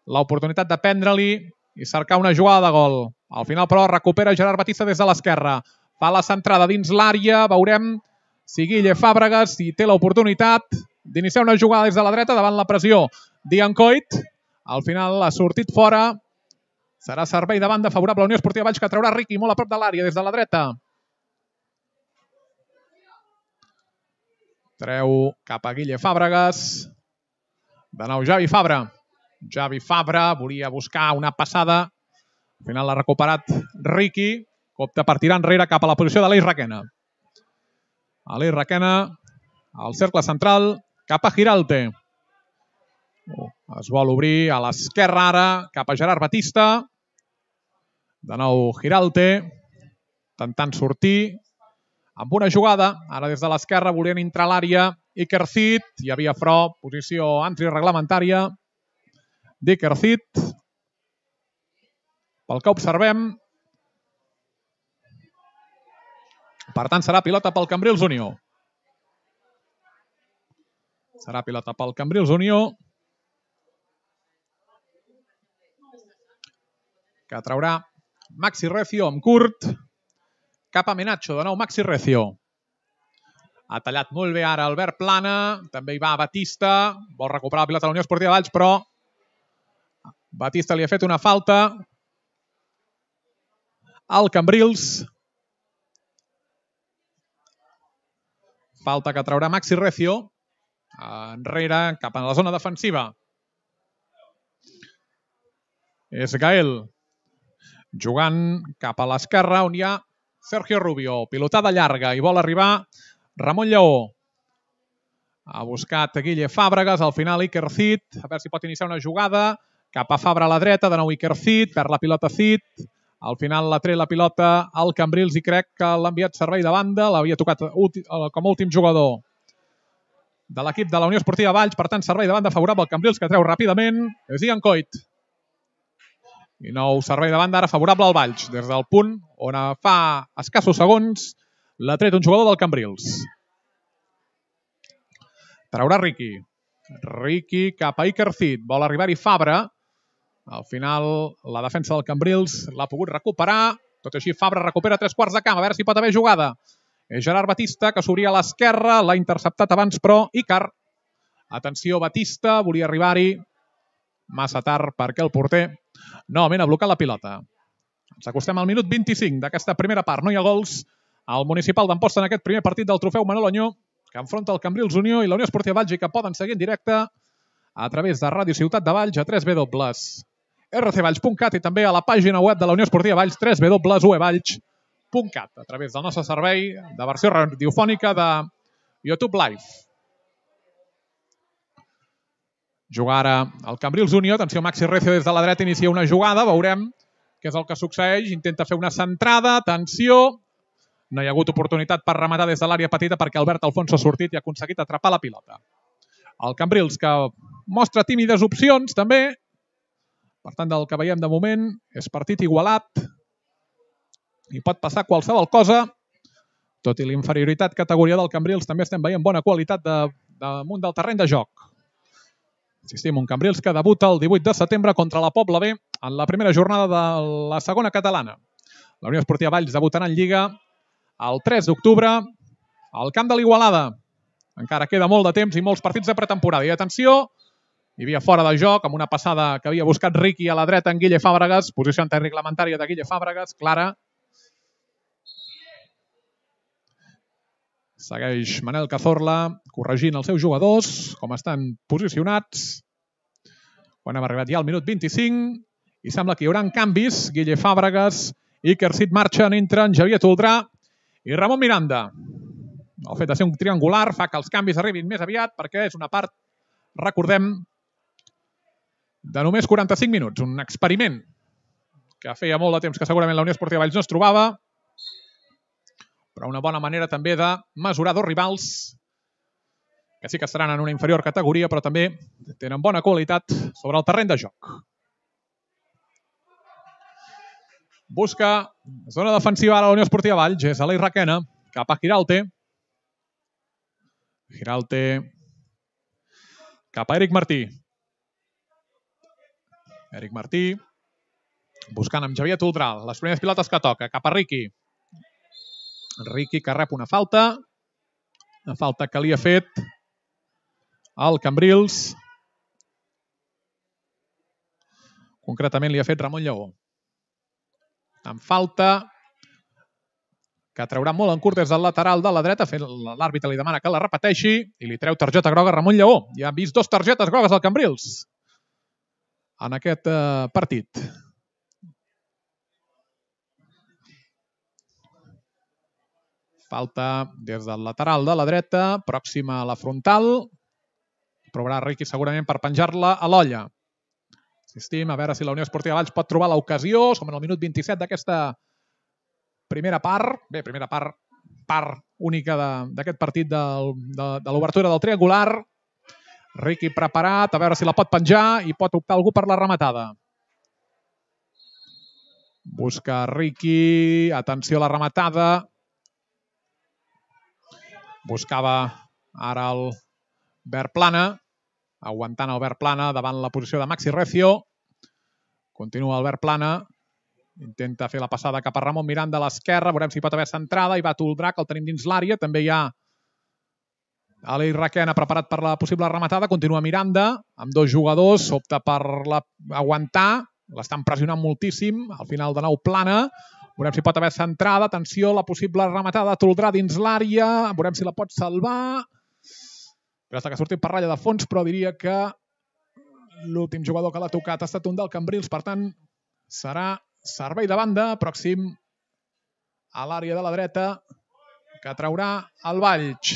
l'oportunitat de prendre-li i cercar una jugada de gol. Al final, però, recupera Gerard Batista des de l'esquerra. Fa la centrada dins l'àrea. Veurem si Guille Fàbregas si té l'oportunitat d'iniciar una jugada des de la dreta davant la pressió d'Ian Coit. Al final ha sortit fora. Serà servei de banda favorable a la Unió Esportiva Valls, que traurà Riqui molt a prop de l'àrea des de la dreta. Treu cap a Guille Fàbregas. De nou Javi Fabra. Javi Fabra volia buscar una passada. Al final l'ha recuperat Riqui. Opta per tirar enrere cap a la posició de l'Eix Requena. L'Eix Requena al cercle central cap a Giralte. Es vol obrir a l'esquerra ara cap a Gerard Batista. De nou Giralte, tentant sortir amb una jugada. Ara des de l'esquerra volien entrar a l'àrea Iker Cid. Hi havia Fro, posició antireglamentària d'Iker Cid. Pel que observem. Per tant, serà pilota pel Cambrils Unió. Serà pilota pel Cambrils Unió. Que traurà Maxi Recio amb curt. Cap a Menacho, de nou Maxi Recio. Ha tallat molt bé ara Albert Plana. També hi va Batista. Vol recuperar la pilota de la Unió Esportiva Valls, però Batista li ha fet una falta al Cambrils. Falta que traurà Maxi Recio. Enrere, cap a la zona defensiva. És Gael. Jugant cap a l'esquerra, on hi ha Sergio Rubio. Pilotada llarga i vol arribar Ramon Lleó. Ha buscat Guille Fàbregas, al final Iker Cid. A veure si pot iniciar una jugada. Cap a Fabra a la dreta, de nou Iker Cid. Perd la pilota Cid. Al final l'ha tret la pilota al Cambrils i crec que l'ha enviat servei de banda. L'havia tocat com a últim jugador de l'equip de la Unió Esportiva Valls. Per tant, servei de banda favorable al Cambrils, que treu ràpidament. És Ian Coit. I nou servei de banda ara favorable al Valls. Des del punt on fa escassos segons l'ha tret un jugador del Cambrils. Traurà Riqui. Riqui cap a Ikercid. Vol arribar-hi Fabra. Al final, la defensa del Cambrils l'ha pogut recuperar. Tot i així, Fabra recupera tres quarts de camp. A veure si pot haver jugada. És Gerard Batista, que s'obria a l'esquerra. L'ha interceptat abans, però Icar. Atenció, Batista. Volia arribar-hi. Massa tard perquè el porter novament ha blocat la pilota. Ens acostem al minut vint-i-cinc d'aquesta primera part. No hi ha gols al Municipal d'Amposta en aquest primer partit del trofeu Manol Añó, que enfronta el Cambrils Unió i la Unió Esportiva Valls i que poden seguir en directe a través de Ràdio Ciutat de Valls a w w w punt r c valls punt cat i també a la pàgina web de la Unió Esportiva Valls w w w punt u e valls punt cat a través del nostre servei de versió radiofònica de YouTube Live. Juga ara el Cambrils Unió. Atenció, Maxi Recio des de la dreta inicia una jugada. Veurem què és el que succeeix. Intenta fer una centrada. Atenció. No hi ha hagut oportunitat per rematar des de l'àrea petita perquè Albert Alfonso ha sortit i ha aconseguit atrapar la pilota. El Cambrils, que mostra tímides opcions, també. Per tant, del que veiem de moment, és partit igualat. I pot passar qualsevol cosa. Tot i l'inferioritat categoria del Cambrils, també estem veient bona qualitat de, damunt del terreny de joc. Insistim, un Cambrils que debuta el divuit de setembre contra la Pobla B en la primera jornada de la segona catalana. La Unió Esportiva Valls debutarà en Lliga el tres d'octubre al camp de l'Igualada. Encara queda molt de temps i molts partits de pretemporada. I atenció, hi havia fora de joc amb una passada que havia buscat Riqui a la dreta en Guille Fàbregas. Posició antirreglamentària de Guille Fàbregas, clara. Segueix Manel Cazorla corregint els seus jugadors, com estan posicionats. Quan hem arribat ja al minut vint-i-cinc i sembla que hi haurà canvis. Guille Fàbregas, Ikercid marxen, entren Javier Toldrà i Ramon Miranda. El fet de ser un triangular fa que els canvis arribin més aviat perquè és una part, recordem, de només quaranta-cinc minuts. Un experiment que feia molt de temps que segurament la Unió Esportiva Valls no es trobava, però una bona manera també de mesurar dos rivals que sí que estaran en una inferior categoria, però també tenen bona qualitat sobre el terreny de joc. Busca zona defensiva a la Unió Esportiva Valls. És Aleix Requena cap a Giralte. Giralte cap a Eric Martí. Eric Martí buscant amb Javier Toldrà. Les primeres pilotes que toca. Cap a Riqui. Riqui que rep una falta. Una falta que li ha fet el Cambrils. Concretament li ha fet Ramon Lleó. En falta que traurà molt en curt des del lateral de la dreta. L'àrbitre li demana que la repeteixi i li treu targeta groga a Ramon Lleó. Ja hem vist dos targetes grogues al Cambrils en aquest eh, partit. Falta des del lateral de la dreta, pròxima a la frontal. Provarà Riqui segurament per penjar-la a l'olla. Insistim, a veure si la Unió Esportiva Valls pot trobar l'ocasió. Som en el minut vint-i-set d'aquesta primera part. Bé, primera part, part única d'aquest partit de, de, de l'obertura del triangular. Riqui preparat, a veure si la pot penjar i pot optar algú per la rematada. Busca Riqui, atenció a la rematada. Buscava ara el Verplana, aguantant el Verplana davant la posició de Maxi Recio. Continua el Verplana. Intenta fer la passada cap a Ramon Miranda a l'esquerra. Veurem si pot haver centrada. Hi va Toldrà, que el tenim dins l'àrea. També hi ha Aleix Requena preparat per la possible rematada. Continua Miranda amb dos jugadors. Opta per la... aguantar. L'estan pressionant moltíssim. Al final de nou Plana. Veurem si pot haver centrada. Atenció, la possible rematada de Toldrà dins l'àrea. Veurem si la pot salvar. Però que ha sortit per ratlla de fons, però diria que l'últim jugador que l'ha tocat ha estat un del Cambrils. Per tant, serà servei de banda, pròxim a l'àrea de la dreta, que traurà el Valls.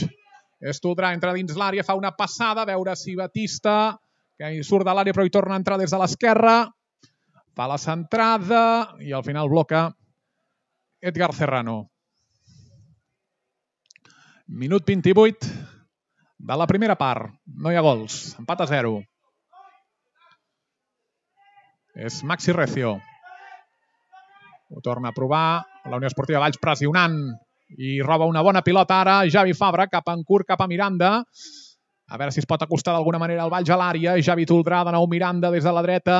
És Toldrà, entra dins l'àrea, fa una passada, a veure si Batista, que hi surt de l'àrea però hi torna a entrar des de l'esquerra, fa la centrada i al final bloca Edgar Serrano. Minut vint-i-vuit de la primera part. No hi ha gols. Empat a zero. És Maxi Recio. Ho torna a provar. La Unió Esportiva Valls pressionant i roba una bona pilota ara. Javi Fabra cap en curt, cap a Miranda. A veure si es pot acostar d'alguna manera el Valls a l'àrea. Javi Toldrà, de nou Miranda des de la dreta.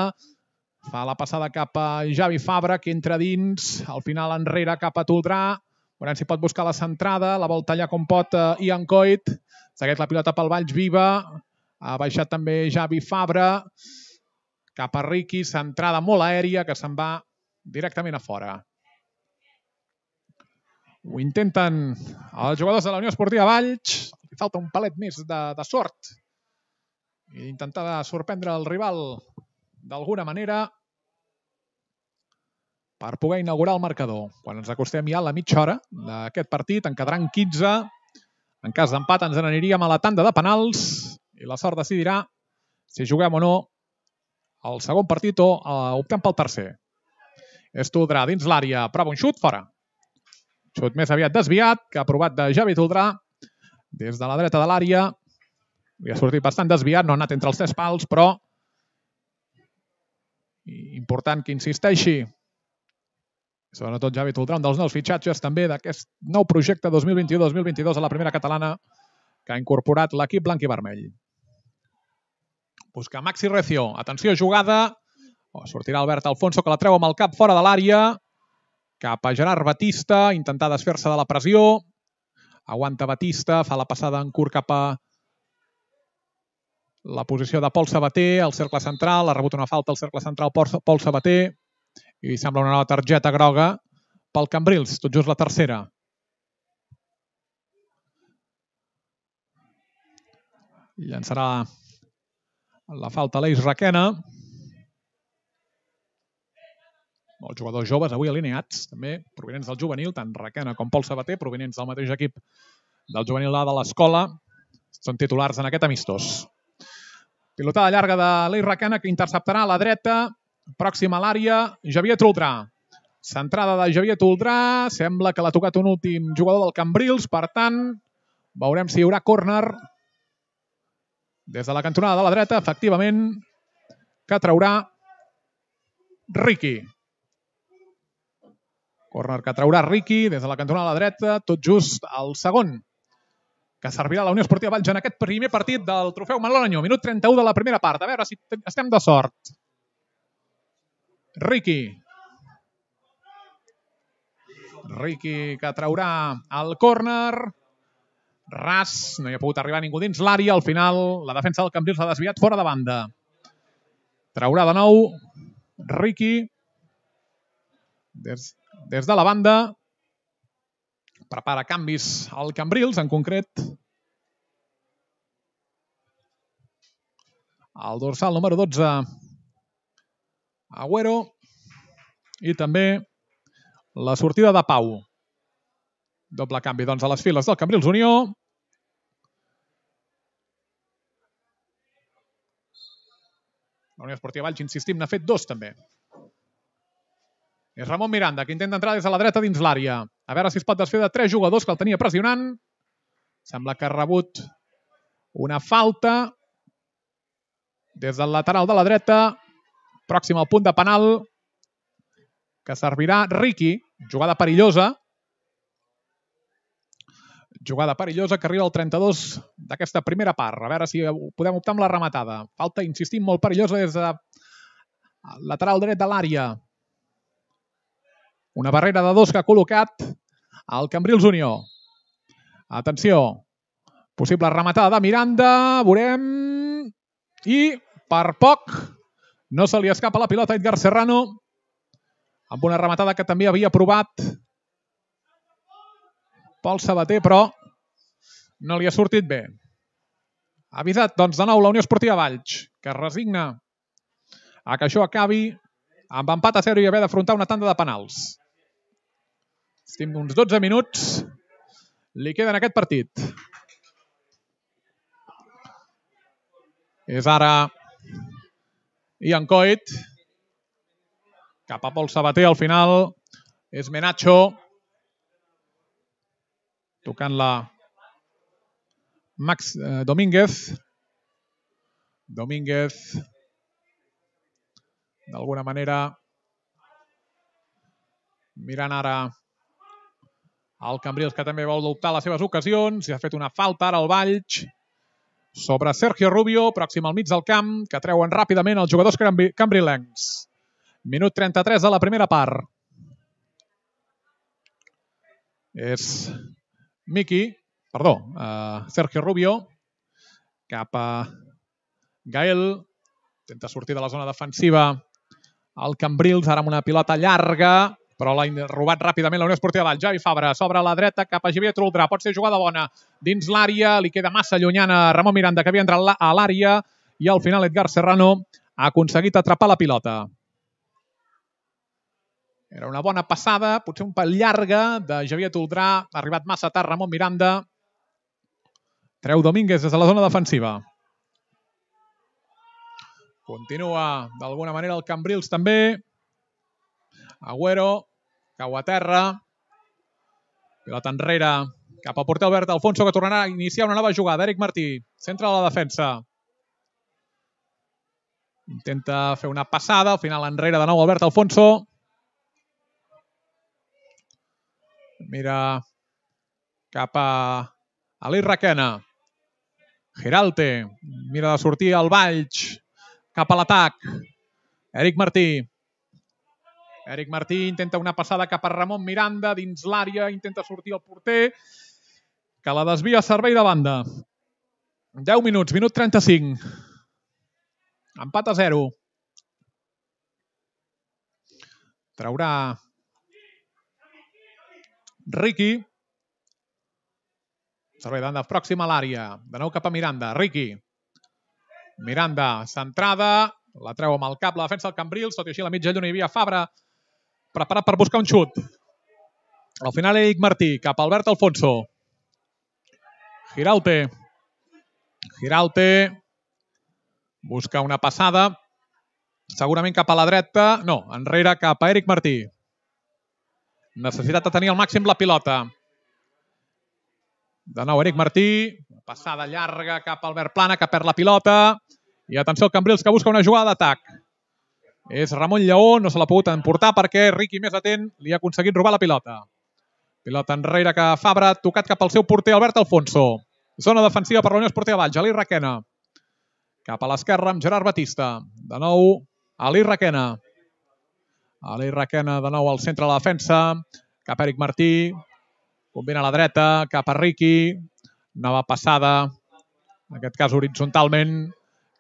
Fa la passada cap a Javi Fabra, que entra dins. Al final enrere cap a Toldrà. Veurem si pot buscar la centrada. La vol tallar com pot Ian Coit. Segueix la pilota pel Valls viva. Ha baixat també Javi Fabra. Cap a Riqui. Centrada molt aèria que se'n va directament a fora. Ho intenten els jugadors de la Unió Esportiva Valls. Li falta un palet més de, de sort. I intentar sorprendre el rival d'alguna manera per poder inaugurar el marcador. Quan ens acostem ja a la mitja hora d'aquest partit, en quedaran quinze. En cas d'empat ens n'aniríem a la tanda de penals i la sort decidirà si juguem o no el segon partit o uh, optem pel tercer. És Toldrà dins l'àrea, prova un xut, fora. Xut més aviat desviat, que ha provat de Javi Toldrà des de la dreta de l'àrea. Li ha sortit bastant desviat, no ha anat entre els tres pals, però important que insisteixi. Sobretot Javi Toldrà, un dels nous fitxatges també d'aquest nou projecte dos mil vint-i-u dos mil vint-i-dos a la primera catalana que ha incorporat l'equip blanc i vermell. Busca Maxi Recio. Atenció, jugada. Oh, sortirà Albert Alfonso, que la treu amb el cap fora de l'àrea. Cap a Gerard Batista. Intentar desfer-se de la pressió. Aguanta Batista. Fa la passada en curt cap a la posició de Pol Sabater, al cercle central. Ha rebut una falta al cercle central Pol Sabater. I sembla una nova targeta groga pel Cambrils. Tot just la tercera. Llançarà la falta a l'Eix Requena. Molts jugadors joves avui alineats, també provinents del juvenil, tant Requena com Pol Sabater, provinents del mateix equip del juvenil A de l'escola, són titulars en aquest amistós. Pilotada llarga de l'Eix Requena, que interceptarà a la dreta, pròxima a l'àrea, Javier Toldrà. Centrada de Javier Toldrà, sembla que l'ha tocat un últim jugador del Cambrils, per tant, veurem si hi haurà córner des de la cantonada de la dreta, efectivament, que traurà Riqui. Córner que traurà Riqui des de la cantonada de la dreta, tot just el segon, que servirà a la Unió Esportiva Valls en aquest primer partit del trofeu Manolo Añó. Minut trenta-u de la primera part. A veure si estem de sort. Riqui. Riqui que traurà el córner. Ras, no hi ha pogut arribar ningú dins l'àrea. Al final, la defensa del Cambrils s'ha desviat fora de banda. Traurà de nou Riqui. Des, des de la banda. Prepara canvis al Cambrils, en concret. El dorsal número dotze, Agüero. I també la sortida de Pau. Doble canvi, doncs, a les files del Cambrils Unió. La Unió Esportiva Valls, insistim, n'ha fet dos, també. És Ramon Miranda, que intenta entrar des de la dreta dins l'àrea. A veure si es pot desfer de tres jugadors que el tenia pressionant. Sembla que ha rebut una falta des del lateral de la dreta. Pròxim al punt de penal, que servirà Riqui. Jugada perillosa. Jugada perillosa que arriba al trenta-dos d'aquesta primera part. A veure si podem optar amb la rematada. Falta, insistim, molt perillosa des de lateral dret de l'àrea. Una barrera de dos que ha col·locat el Cambrils Unió. Atenció. Possible rematada de Miranda. Veurem. I per poc no se li escapa la pilota a Edgar Serrano amb una rematada que també havia provat Pol Sabater, però no li ha sortit bé. Ha avisat, doncs, de nou la Unió Esportiva Valls, que es resigna a que això acabi amb empat a zero i haver d'afrontar una tanda de penals. Estem uns dotze minuts. Li queda en aquest partit. És ara Ian Coit. Cap a Pol Sabater, al final. És Menacho. Tocant-la Max eh, Domínguez. Domínguez. D'alguna manera mirant ara el Cambrils, que també vol adoptar les seves ocasions. I ha fet una falta ara al Valls. sobre Sergio Rubio, pròxim al mig del camp, que treuen ràpidament els jugadors cambrilencs. Minut trenta-tres de la primera part. És Miki, perdó, uh, Sergio Rubio, cap a Gael, intenta sortir de la zona defensiva el Cambrils, ara amb una pilota llarga, però l'ha robat ràpidament la Unió Esportiva Valls. Javi Fabra s'obre a la dreta cap a Xavier Truldrà, pot ser jugada bona dins l'àrea, li queda massa llunyana a Ramon Miranda, que havia entrat a l'àrea, i al final Edgar Serrano ha aconseguit atrapar la pilota. Era una bona passada, potser un pèl llarga, de Xavier Truldrà, ha arribat massa tard Ramon Miranda. Treu Domínguez des de la zona defensiva. Continua d'alguna manera el Cambrils també. Agüero, cau a terra. Pilota enrere, cap al porter Albert Alfonso, que tornarà a iniciar una nova jugada. Eric Martí, centre de la defensa. Intenta fer una passada, al final enrere de nou Albert Alfonso. Mira cap a Ali Requena. Giralte, mira de sortir al Valls, cap a l'atac. Eric Martí. Eric Martí intenta una passada cap a Ramon Miranda, dins l'àrea, intenta sortir el porter, que la desvia a servei de banda. deu minuts, minut trenta-cinc. Empat a zero. Traurà Riqui. Servei de banda pròxima a l'àrea. De nou cap a Miranda. Riqui. Miranda, centrada. La treu amb el cap la defensa del Cambrils. Tot i així a la mitja lluna hi havia Fabra preparat per buscar un xut. Al final Eric Martí, cap a Albert Alfonso. Giralte. Giralte. Busca una passada. Segurament cap a la dreta. No, enrere cap a Eric Martí. Necessitat de tenir al màxim la pilota. De nou Eric Martí. Passada llarga cap a Albert Plana, que perd la pilota. I atenció al Cambrils, que busca una jugada d'atac. És Ramon Lleó, no se l'ha pogut emportar perquè Riqui, més atent, li ha aconseguit robar la pilota. Pilota enrere que Fabra, tocat cap al seu porter Albert Alfonso. Zona defensiva per la Unió Esportiva Valls, Ali Requena. Cap a l'esquerra amb Gerard Batista. De nou, Ali Requena. Ali Requena de nou al centre de la defensa. Cap a Eric Martí. Combina a la dreta, cap a Riqui. Nova passada, en aquest cas horitzontalment,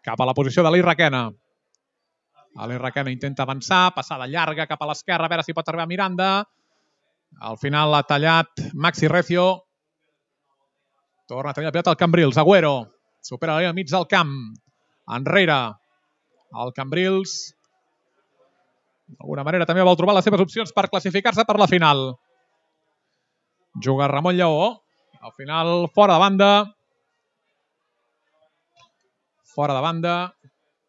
cap a la posició d'Ali Requena. Ali Requena intenta avançar, passada llarga cap a l'esquerra, a veure si pot arribar Miranda. Al final l'ha tallat Maxi Recio. Torna a tenir la pilota al Cambrils. Agüero supera la línia al mig del camp. Enrere el Cambrils. D'alguna manera també vol trobar les seves opcions per classificar-se per la final. Juga Ramon Lleó. Al final, fora de banda. Fora de banda.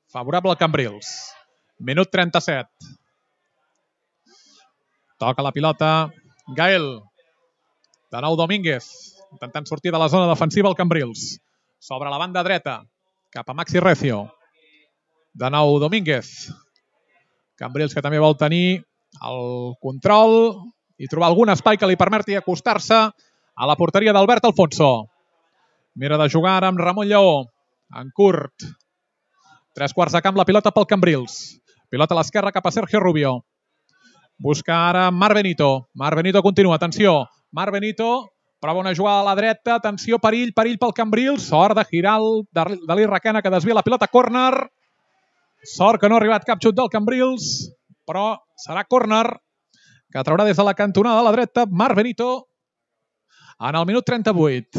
Favorable al Cambrils. Minut trenta-set. Toca la pilota Gael. De nou Domínguez. Intentant sortir de la zona defensiva el Cambrils. Sobre la banda dreta. Cap a Maxi Recio. De nou Domínguez. Cambrils que també vol tenir el control i trobar algun espai que li permeti acostar-se a la porteria d'Albert Alfonso. Mira de jugar ara amb Ramon Lleó. En curt. Tres quarts de camp, la pilota pel Cambrils. Pilota a l'esquerra cap a Sergio Rubio. Busca ara Marc Benito. Marc Benito continua. Atenció. Marc Benito prova una jugada a la dreta. Atenció, perill, perill pel Cambrils. Sort de Giral, d'Ali Requena, que desvia la pilota. Córner. Sort que no ha arribat cap xut del Cambrils, però serà córner que traurà des de la cantonada de la dreta Marc Benito en el minut trenta-vuit.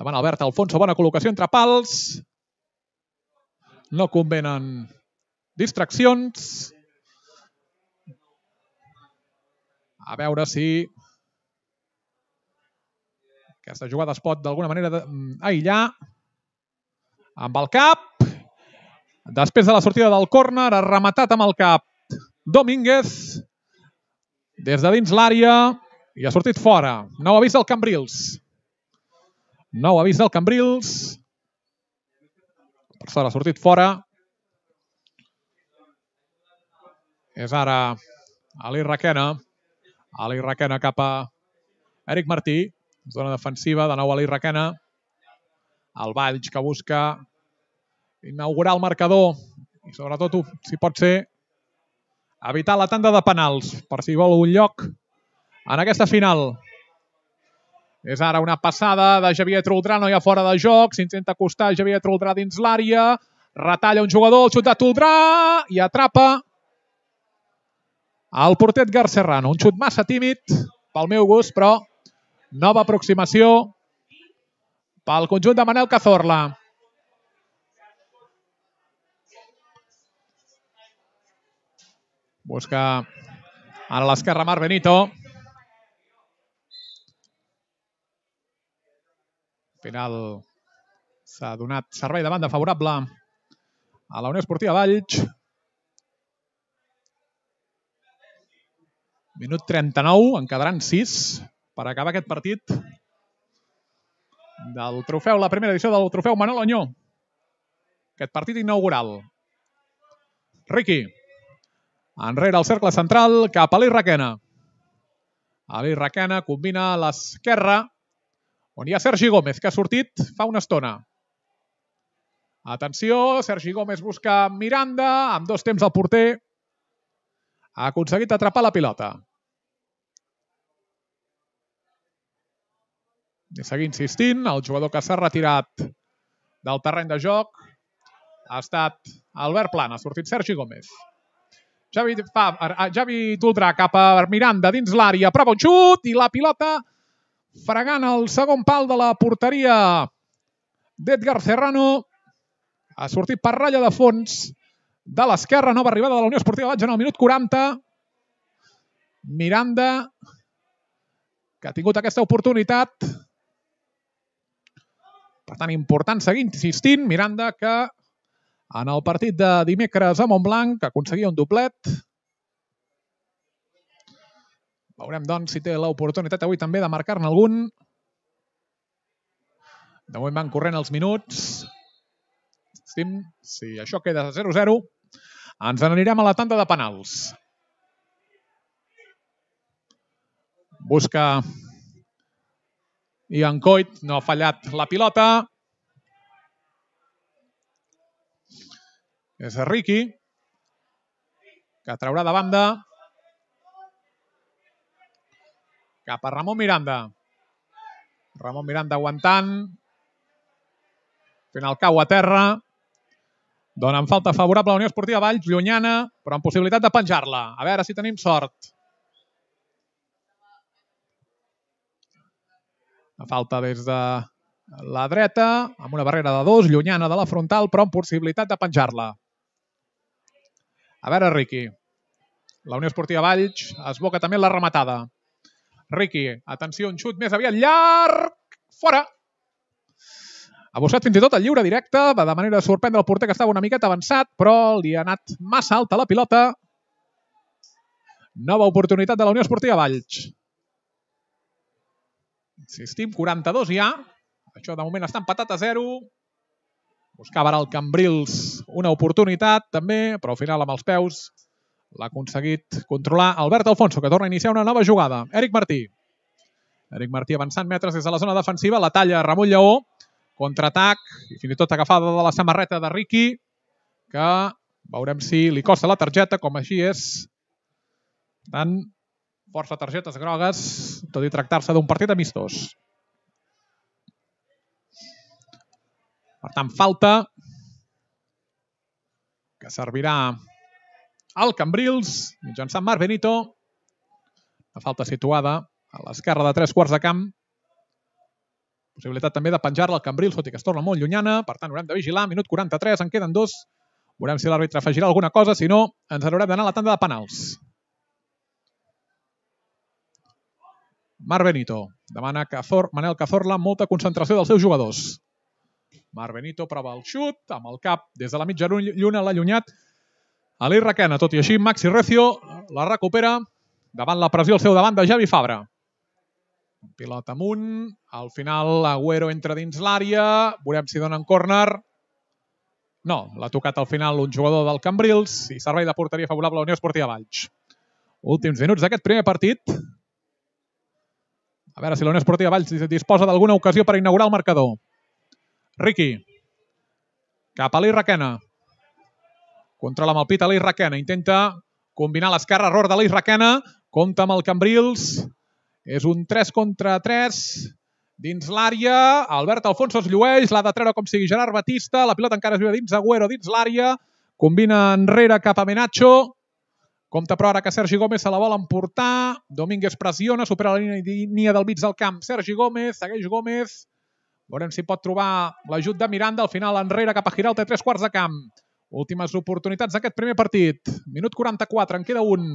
Davant Albert Alfonso, bona col·locació entre pals. No convenen distraccions. A veure si aquesta jugada es pot d'alguna manera aïllar. Amb el cap. Després de la sortida del córner, ha rematat amb el cap Domínguez des de dins l'àrea i ha sortit fora. Nou avís del Cambrils. Nou avís del Cambrils. Per sort ha sortit fora. És ara Ali Requena. Ali Requena cap a Eric Martí. Zona defensiva, de nou Ali Requena. El Valls que busca inaugurar el marcador i sobretot, si pot ser, evitar la tanda de penals per si vol un lloc en aquesta final. És ara una passada de Xavier Toldrà, no hi ha fora de joc, s'intenta acostar Xavier Toldrà dins l'àrea, retalla un jugador, el xut de Toldrà i atrapa el porter Edgar Serrano. Un xut massa tímid pel meu gust, però nova aproximació pel conjunt de Manel Cazorla. Busca ara a l'esquerra Marc Benito. Al final s'ha donat servei de banda favorable a la Unió Esportiva Valls. Minut trenta-nou, en quedaran sis per acabar aquest partit del trofeu, la primera edició del trofeu Manol Añó. Aquest partit inaugural. Riqui. Enrere al cercle central, cap a Aleix Requena. Aleix Requena combina a l'esquerra, on hi ha Sergi Gómez, que ha sortit fa una estona. Atenció, Sergi Gómez busca Miranda, amb dos temps al porter. Ha aconseguit atrapar la pilota. I seguir insistint, el jugador que s'ha retirat del terreny de joc ha estat Albert Plana, ha sortit Sergi Gómez. Javi, fa, Javi Toldrà cap a Miranda dins l'àrea, prova un xut i la pilota fregant el segon pal de la porteria d'Edgar Serrano. Ha sortit per ratlla de fons de l'esquerra, nova arribada de la Unió Esportiva Valls en el minut quaranta. Miranda, que ha tingut aquesta oportunitat. Per tant, important seguir insistint. Miranda, que en el partit de dimecres a Montblanc aconseguia un doblet. Veurem, doncs, si té l'oportunitat avui també de marcar-ne algun. De moment van corrent els minuts. Si això queda zero a zero, ens n'anirem a la tanda de penals. Busca Ian Coit, no ha fallat la pilota. És Riqui, que traurà de banda cap a Ramon Miranda. Ramon Miranda aguantant. Al final cau a terra. Donen falta favorable a la Unió Esportiva Valls, llunyana, però amb possibilitat de penjar-la. A veure si tenim sort. La falta des de la dreta, amb una barrera de dos, llunyana de la frontal, però amb possibilitat de penjar-la. A veure, Riqui. La Unió Esportiva Valls esboca també la rematada. Riqui, atenció, un xut més aviat llarg. Fora! Ha buscat fins i tot el lliure directe, va de manera de sorprendre el porter que estava una miqueta avançat, però li ha anat massa alta la pilota. Nova oportunitat de la Unió Esportiva Valls. Insistim, quaranta-dos ja. Això de moment està empatat a zero. Buscava ara el Cambrils una oportunitat també, però al final amb els peus l'ha aconseguit controlar Albert Alfonso, que torna a iniciar una nova jugada. Eric Martí. Eric Martí avançant metres des de la zona defensiva, la talla Ramon Lleó. Contraatac i fins i tot agafada de la samarreta de Riqui, que veurem si li costa la targeta, com així és. Per tant, força targetes grogues, tot i tractar-se d'un partit amistós. Per tant, falta que servirà al Cambrils, mitjançant Marc Benito. Una falta situada a l'esquerra de tres quarts de camp. Possibilitat també de penjar-la al Cambrils, tot i que es torna molt llunyana. Per tant, haurem de vigilar. Minut quaranta-tres, en queden dos. Veurem si l'àrbitre afegirà alguna cosa. Si no, ens haurem d'anar a la tanda de penals. Marc Benito. Demana Cazor, Manel Cazorla molta concentració dels seus jugadors. Marc Benito prova el xut, amb el cap des de la mitja lluna l'ha allunyat Aleix Requena. Tot i així, Maxi Recio la recupera davant la pressió al seu davant de Javi Fabra. Pilota amunt, al final Agüero entra dins l'àrea, veurem si donen córner. No, l'ha tocat al final un jugador del Cambrils i servei de porteria favorable a la Unió Esportiva Valls. Últims minuts d'aquest primer partit. A veure si la Unió Esportiva Valls disposa d'alguna ocasió per inaugurar el marcador. Riqui. Cap a l'Eix Requena. Controla amb el pit a l'Eix Requena. Intenta combinar l'esquerra. Error de l'Eix Requena. Compta amb el Cambrils. És un tres contra tres. Dins l'àrea. Albert Alfonso es llueix. L'ha de treure com sigui Gerard Batista. La pilota encara es viu dins Agüero, dins l'àrea. Combina enrere cap a Menacho. Compta però ara que Sergi Gómez se la vol emportar. Domínguez pressiona. Supera la línia del mig del camp. Sergi Gómez. Segueix Gómez. Veurem si pot trobar l'ajut de Miranda. Al final enrere cap a Giralta. Tres quarts de camp. Últimes oportunitats d'aquest primer partit. Minut quaranta-quatre. En queda un.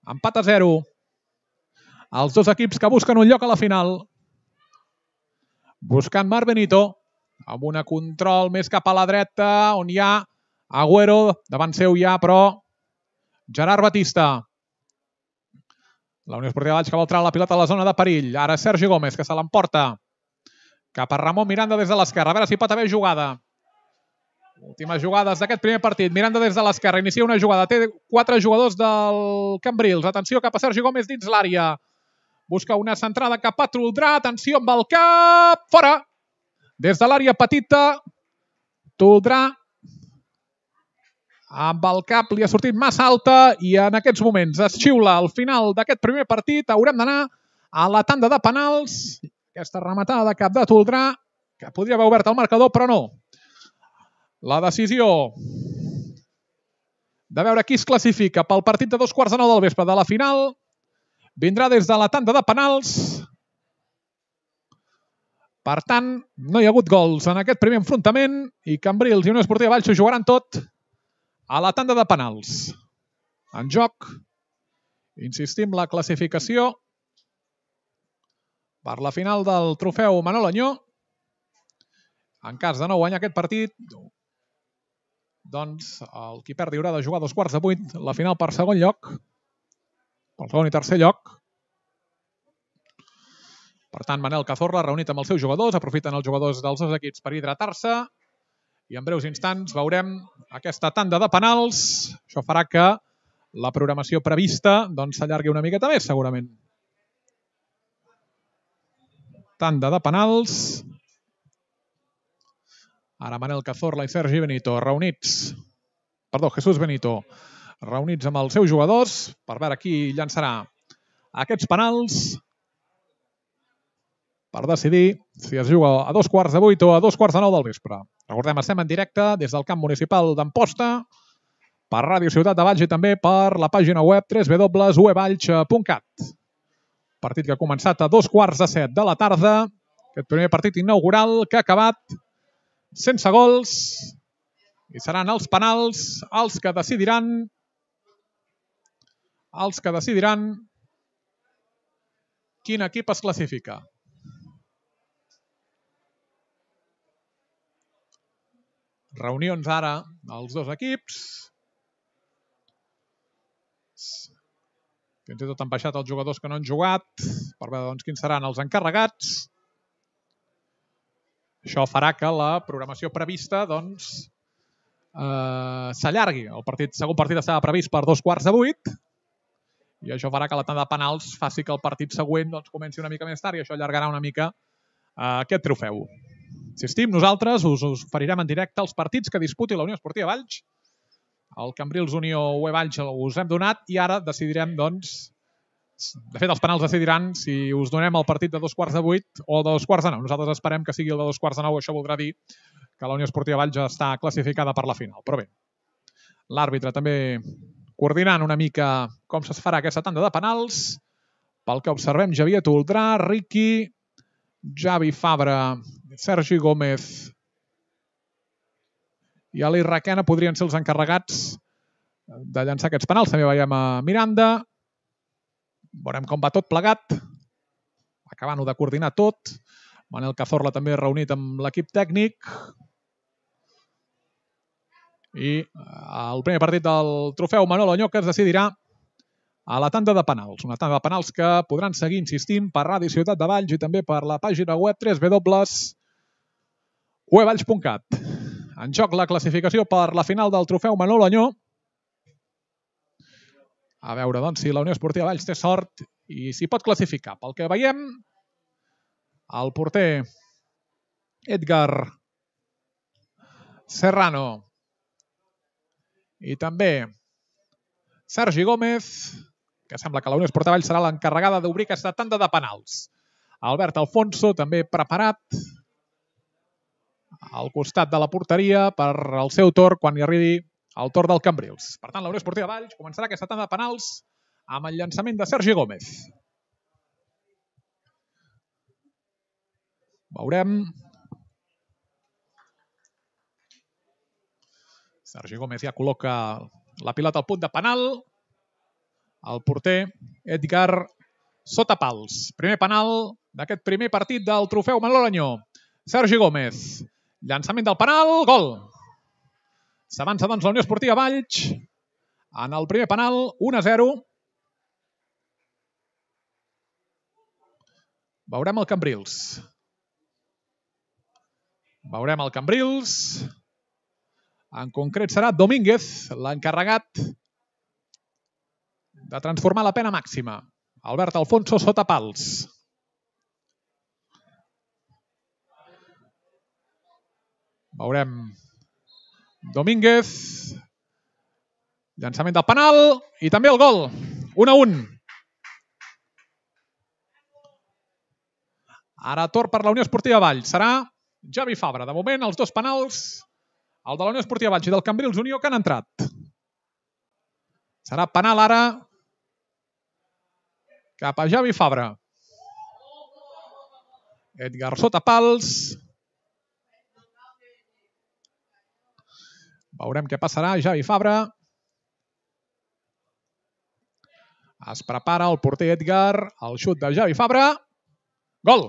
Empat a zero. Els dos equips que busquen un lloc a la final. Buscant Marc Benito. Amb una control més cap a la dreta, on hi ha Agüero. Davant seu hi ha, però, Gerard Batista. La Unió Esportiva Valls que vol treure la pilota a la zona de perill. Ara Sergi Gómez, que se l'emporta cap a Ramon Miranda des de l'esquerra. A veure si pot haver jugada. Últimes jugades d'aquest primer partit. Miranda des de l'esquerra. Inicia una jugada. Té quatre jugadors del Cambrils. Atenció cap a Sergi Gómez dins l'àrea. Busca una centrada cap a Toldrà. Atenció amb el cap. Fora. Des de l'àrea petita. Toldrà. Amb el cap li ha sortit massa alta i en aquests moments es xiula al final d'aquest primer partit. Haurem d'anar a la tanda de penals. Aquesta rematada de cap de Toldrà, que podria haver obert el marcador, però no. La decisió de veure qui es classifica pel partit de dos quarts de nou del vespre de la final vindrà des de la tanda de penals. Per tant, no hi ha hagut gols en aquest primer enfrontament i Cambrils i Unió Esportiva Valls ho jugaran tot a la tanda de penals. En joc, insistim, la classificació per la final del trofeu Manol Añó. En cas de no guanyar aquest partit, doncs el qui perdi haurà de jugar a dos quarts de vuit la final per segon lloc, pel segon i tercer lloc. Per tant, Manel Cazorla, reunit amb els seus jugadors, aprofiten els jugadors dels dos equips per hidratar-se i en breus instants veurem aquesta tanda de penals. Això farà que la programació prevista doncs, s'allargui una miqueta més, segurament. Tanda de penals. Ara Manel Cazorla i Sergi Benito reunits, perdó, Jesús Benito, reunits amb els seus jugadors per veure qui llançarà aquests penals per decidir si es juga a dos quarts de vuit o a dos quarts de nou del vespre. Recordem, estem en directe des del camp municipal d'Amposta per Ràdio Ciutat de Valls i també per la pàgina web w w w punt u e valls punt cat. Partit que ha començat a dos quarts de set de la tarda. Aquest primer partit inaugural que ha acabat sense gols i seran els penals els que decidiran els que decidiran quin equip es classifica. Reunions ara els dos equips. Fins i tot han baixat els jugadors que no han jugat per veure doncs, quins seran els encarregats. Això farà que la programació prevista doncs, eh, s'allargui. El partit, segon partit estava previst per dos quarts de vuit i això farà que la tanda de penals faci que el partit següent doncs, comenci una mica més tard i això allargarà una mica eh, aquest trofeu. Insistim, nosaltres us, us oferirem en directe els partits que disputi la Unió Esportiva Valls. El Cambrils Unió U E Valls us hem donat i ara decidirem, doncs, de fet els penals decidiran si us donem el partit de dos quarts de vuit o de dos quarts de nou. Nosaltres esperem que sigui el de dos quarts de nou, això voldrà dir que la Unió Esportiva Valls ja està classificada per la final. Però bé, l'àrbitre també coordinant una mica com es farà aquesta tanda de penals. Pel que observem, Javier Toldrà, Riqui, Javi Fabra, Sergi Gómez i Aleix Requena podrien ser els encarregats de llançar aquests penals. També veiem a Miranda. Veurem com va tot plegat. Acabant-ho de coordinar tot. Manel Cazorla també reunit amb l'equip tècnic. I el primer partit del trofeu Manol Añó que es decidirà a la tanda de penals. Una tanda de penals que podran seguir insistint per Ràdio Ciutat de Valls i també per la pàgina web w w w punt u e valls punt cat. En joc la classificació per la final del trofeu Manol Añó. A veure doncs, si la Unió Esportiva Valls té sort i s'hi pot classificar. Pel que veiem, el porter Edgar Serrano i també Sergi Gómez, que sembla que la Unió Esportiva Valls serà l'encarregada d'obrir aquesta tanda de penals. Albert Alfonso també preparat al costat de la porteria per al seu torn quan hi arribi el torn del Cambrils. Per tant, la Unió Esportiva Valls començarà aquesta tanda de penals amb el llançament de Sergi Gómez. Veurem. Sergi Gómez ja col·loca la pilota al punt de penal. El porter Edgar Sotapals. Primer penal d'aquest primer partit del trofeu Manolo Arañó. Sergi Gómez. Llançament del penal. Gol. S'avança doncs la Unió Esportiva Valls en el primer penal. un a zero. Veurem el Cambrils. Veurem el Cambrils. En concret serà Domínguez l'encarregat de transformar la pena màxima. Albert Alfonso sota pals. Veurem Domínguez. Llançament del penal i també el gol. un a un. Ara torn per la Unió Esportiva Valls. Serà Javi Fabra. De moment, els dos penals, el de la Unió Esportiva Valls i del Cambrils Unió, que han entrat. Serà penal ara cap a Javi Fabra. Edgar Sotapals. Veurem què passarà. Javi Fabra. Es prepara el porter Edgar. El xut de Javi Fabra. Gol!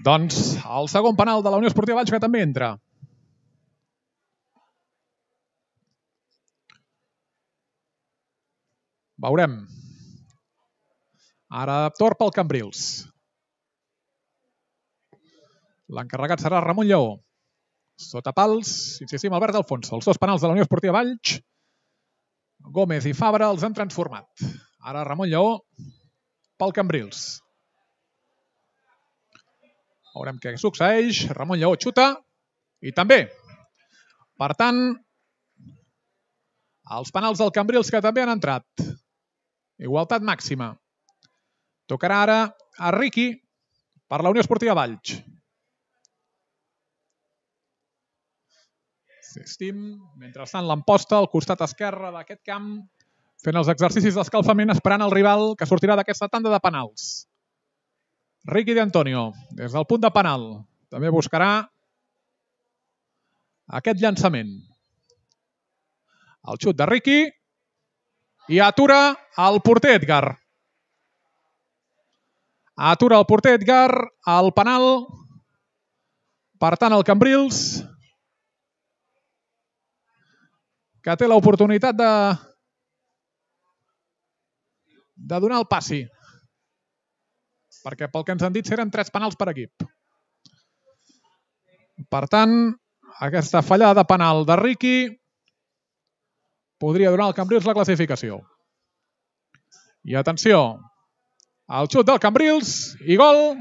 Doncs el segon penal de la Unió Esportiva Valls que també entra. Veurem. Ara torn pel Cambrils. L'encarregat serà Ramon Lleó. Sota pals, insistim, Albert Alfonso. Els dos penals de la Unió Esportiva Valls, Gómez i Fabra, els han transformat. Ara Ramon Lleó pel Cambrils. Veurem què succeeix. Ramon Lleó xuta i també. Per tant, els penals del Cambrils que també han entrat. Igualtat màxima. Tocarà ara a Riqui per la Unió Esportiva Valls. Assistim, mentrestant l'Amposta al costat esquerre d'aquest camp, fent els exercicis d'escalfament, esperant el rival que sortirà d'aquesta tanda de penals. Riqui de Antonio, des del punt de penal, també buscarà aquest llançament. El xut de Riqui i atura el porter Edgar. Atura el porter Edgar al penal. Per tant, el Cambrils, que té l'oportunitat de, de donar el passi. Perquè pel que ens han dit eren tres penals per equip. Per tant, aquesta fallada de penal de Riqui podria donar al Cambrils la classificació. I atenció, el xut del Cambrils i gol.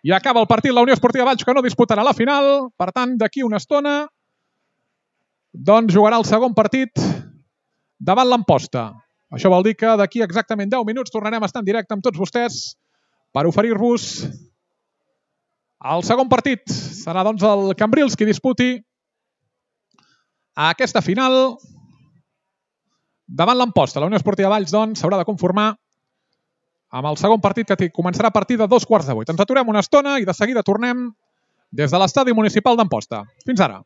I acaba el partit la Unió Esportiva Valls, que no disputarà la final. Per tant, d'aquí una estona doncs jugarà el segon partit davant l'Amposta. Això vol dir que d'aquí exactament deu minuts tornarem a estar en directe amb tots vostès per oferir-vos el segon partit. Serà doncs el Cambrils qui disputi aquesta final davant l'Amposta. La Unió Esportiva Valls doncs s'haurà de conformar amb el segon partit que començarà a partir de dos quarts de vuit. Ens aturem una estona i de seguida tornem des de l'estadi municipal d'Amposta. Fins ara.